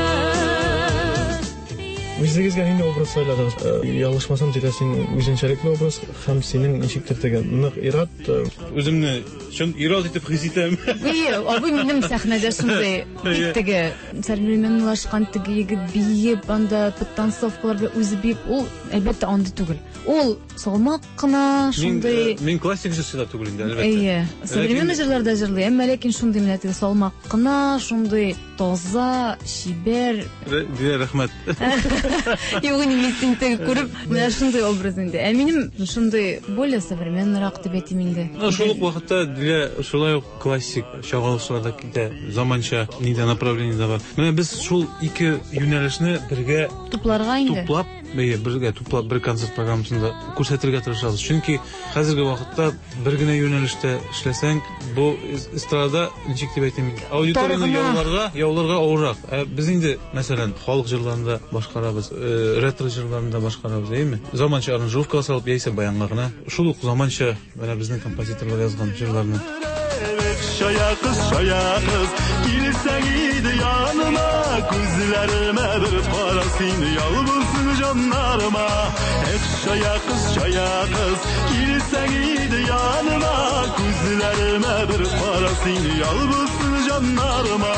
Speaker 14: Үзегезгә нинди образ сайладыгыз? Э, Ялгышмасам, Дилә, син үзенчәлекле образ һәм синең ничектер теге нык ир-ат, э,
Speaker 16: Үземне чын ир-ат итеп хис итәм.
Speaker 15: Әйе, абый минем сәхнәдә шундый бик теге современлашкан теге егет биеп, анда подтанцовкалар белән үзе биеп, ул әлбәттә андый түгел. Ул салмак кына
Speaker 16: Мин,
Speaker 15: шундый
Speaker 16: э, мин классик җырчы да түгел инде, әлбәттә.
Speaker 15: Әйе, современный җырларда җырлый, әмма ләкин шундый менә теге салмак кына, шундый таза, чибәр.
Speaker 16: Дилә, рәхмәт.
Speaker 15: Юк, инде син теге күреп, менә шундый образ инде. Ә минем шундый более современныйрак дип әйтим инде.
Speaker 16: Ну, шул ук вакытта Дилә шулай ук классик чагылышларда китә, заманча нидә направлениедә бар. Менә без шул ике юнәлешне бергә
Speaker 15: Тупларга инде.
Speaker 16: туплап, әйе, бергә туплап бер концерт программасында күрсәтергә тырышабыз. Чөнки хәзерге вакытта бер генә юнәлештә эшләсәң, бу эстрадада ничек дип әйтим, аудиторияне
Speaker 15: Торгына.
Speaker 16: яуларга, яуларга авыррак. Ә без инде, мәсәлән, халык җырларында башкарабыз, э, ретро җырларында башкарабыз, әйеме? Заманча аранжировка салып, яисә баянга гына. Шул ук заманча менә безнең композиторлар язган җырларны.
Speaker 25: Чая кыз, чая кыз, килсәң иде яныма, күзләремә бер кара син, ял булсын җаннарыма. Эх, чая кыз, чая кыз, килсәң иде яныма, күзләремә бер кара син, ял булсын җаннарыма.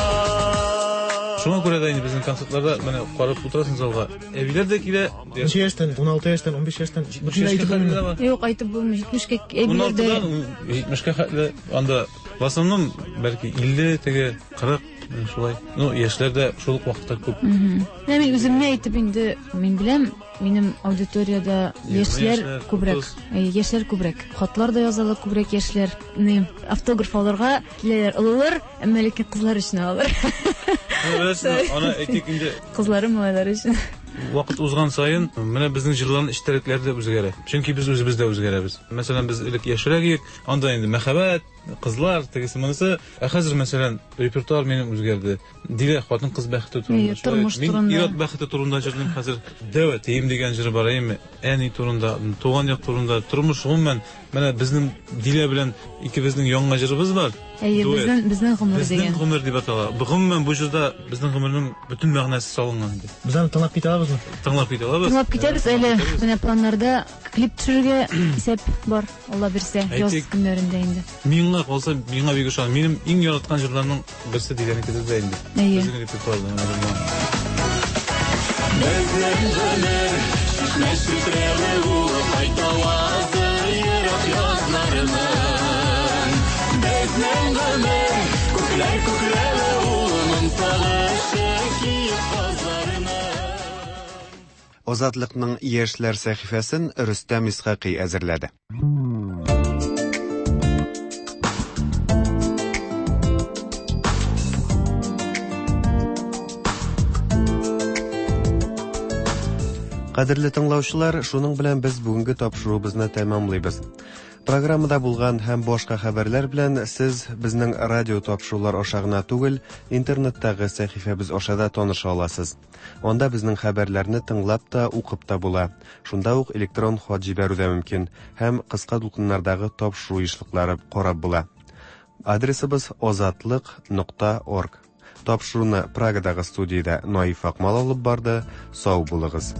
Speaker 16: Шуңа күрә дә инде безнең концертларда менә карап утырасың залга. Әбиләр дә килә.
Speaker 14: Ничә яшьтән? Уналты яшьтән, унбиш яшьтән,
Speaker 16: Җитмешкә
Speaker 14: әйтеп
Speaker 16: хәтле
Speaker 14: булмый.
Speaker 16: дә бар.
Speaker 15: Юк, әйтеп булмый. Җитмешкә әбиләр дә.
Speaker 16: Уналтыдан җитмешкә хәтле анда в основном бәлки илле, теге кырык, менә шулай. Ну, яшьләр дә шул ук вакытта күп.
Speaker 15: Мгм. Менә мин үземне әйтеп инде, мин беләм, минем аудиторияда
Speaker 16: Егерме
Speaker 15: яшьләр
Speaker 16: яшьләр,
Speaker 15: күбрәк.
Speaker 16: утыз.
Speaker 15: Әйе, яшьләр күбрәк. Хатлар да язалар күбрәк яшьләр. Ни, автограф алырга киләләр олылар, әмма ләкин кызлар өчен алалар.
Speaker 16: Менә беләсезме, аны әйтик инде.
Speaker 15: Кызлары, малайлар өчен.
Speaker 16: Вакыт узган саен менә безнең җырларның эчтәлекләре дә үзгәрә. Чөнки без үзебез дә үзгәрәбез. Мәсәлән, без элек яшьрәк идек, анда инде мәхәббәт, кызлар, тегесе монысы. Ә хәзер, мәсәлән, репертуар минем үзгәрде. Дилә хатын-кыз бәхете турында.
Speaker 15: Әйе, тормыш
Speaker 16: Мин
Speaker 15: турында.
Speaker 16: ир-ат бәхете турында җырлыйм хәзер. Дәү әтием дигән җыр бар, әйеме? Әни турында, туган як турында, тормыш гомумән. Менә безнең Дилә белән икебезнең яңа җырыбыз бар.
Speaker 15: Әйе,
Speaker 16: Дуэт.
Speaker 15: безнең, безнең гомер
Speaker 16: Безнең
Speaker 15: дигән.
Speaker 16: гомер дип атала. Бу гомумән бу җырда безнең гомернең бөтен мәгънәсе салынган инде.
Speaker 14: Без аны тыңлап китә алабызмы?
Speaker 16: Тыңлап китә алабыз.
Speaker 15: Тыңлап китәбез әле. Менә планнарда клип төшерергә исәп бар, Алла бирсә, яз
Speaker 16: Әйтик.
Speaker 15: көннәрендә инде.
Speaker 16: Миңа калса, миңа бик ошаган. Минем иң яраткан җырларның берсе Диләнеке дә инде.
Speaker 15: Әйе.
Speaker 16: Безнең репертуарда менә җырлар.
Speaker 25: Безнең гомер чишмә челтерәве ул, кайтавазы ерак язларының. Безнең гомер күкләр күкрәве ул, моң сагышы киек казларының.
Speaker 2: Азатлыкның яшьләр сәхифәсен Рөстәм Исхакый әзерләде. Кадерле тыңлаучылар, шуның белән без бүгенге тапшыруыбызны тәмамлыйбыз. Программада булган һәм башка хәбәрләр белән сез безнең радио тапшырулар аша гына түгел, интернеттагы сәхифәбез аша да таныша аласыз. Анда безнең хәбәрләрне тыңлап та, укып та була. Шунда ук электрон хат җибәрү дә мөмкин һәм кыска дулкыннардагы тапшыру ешлыклары карап була. Адресыбыз азатлык нокта орг. Тапшыруны Прагадагы студиядә Наиф Акмал алып барды. Сау булыгыз.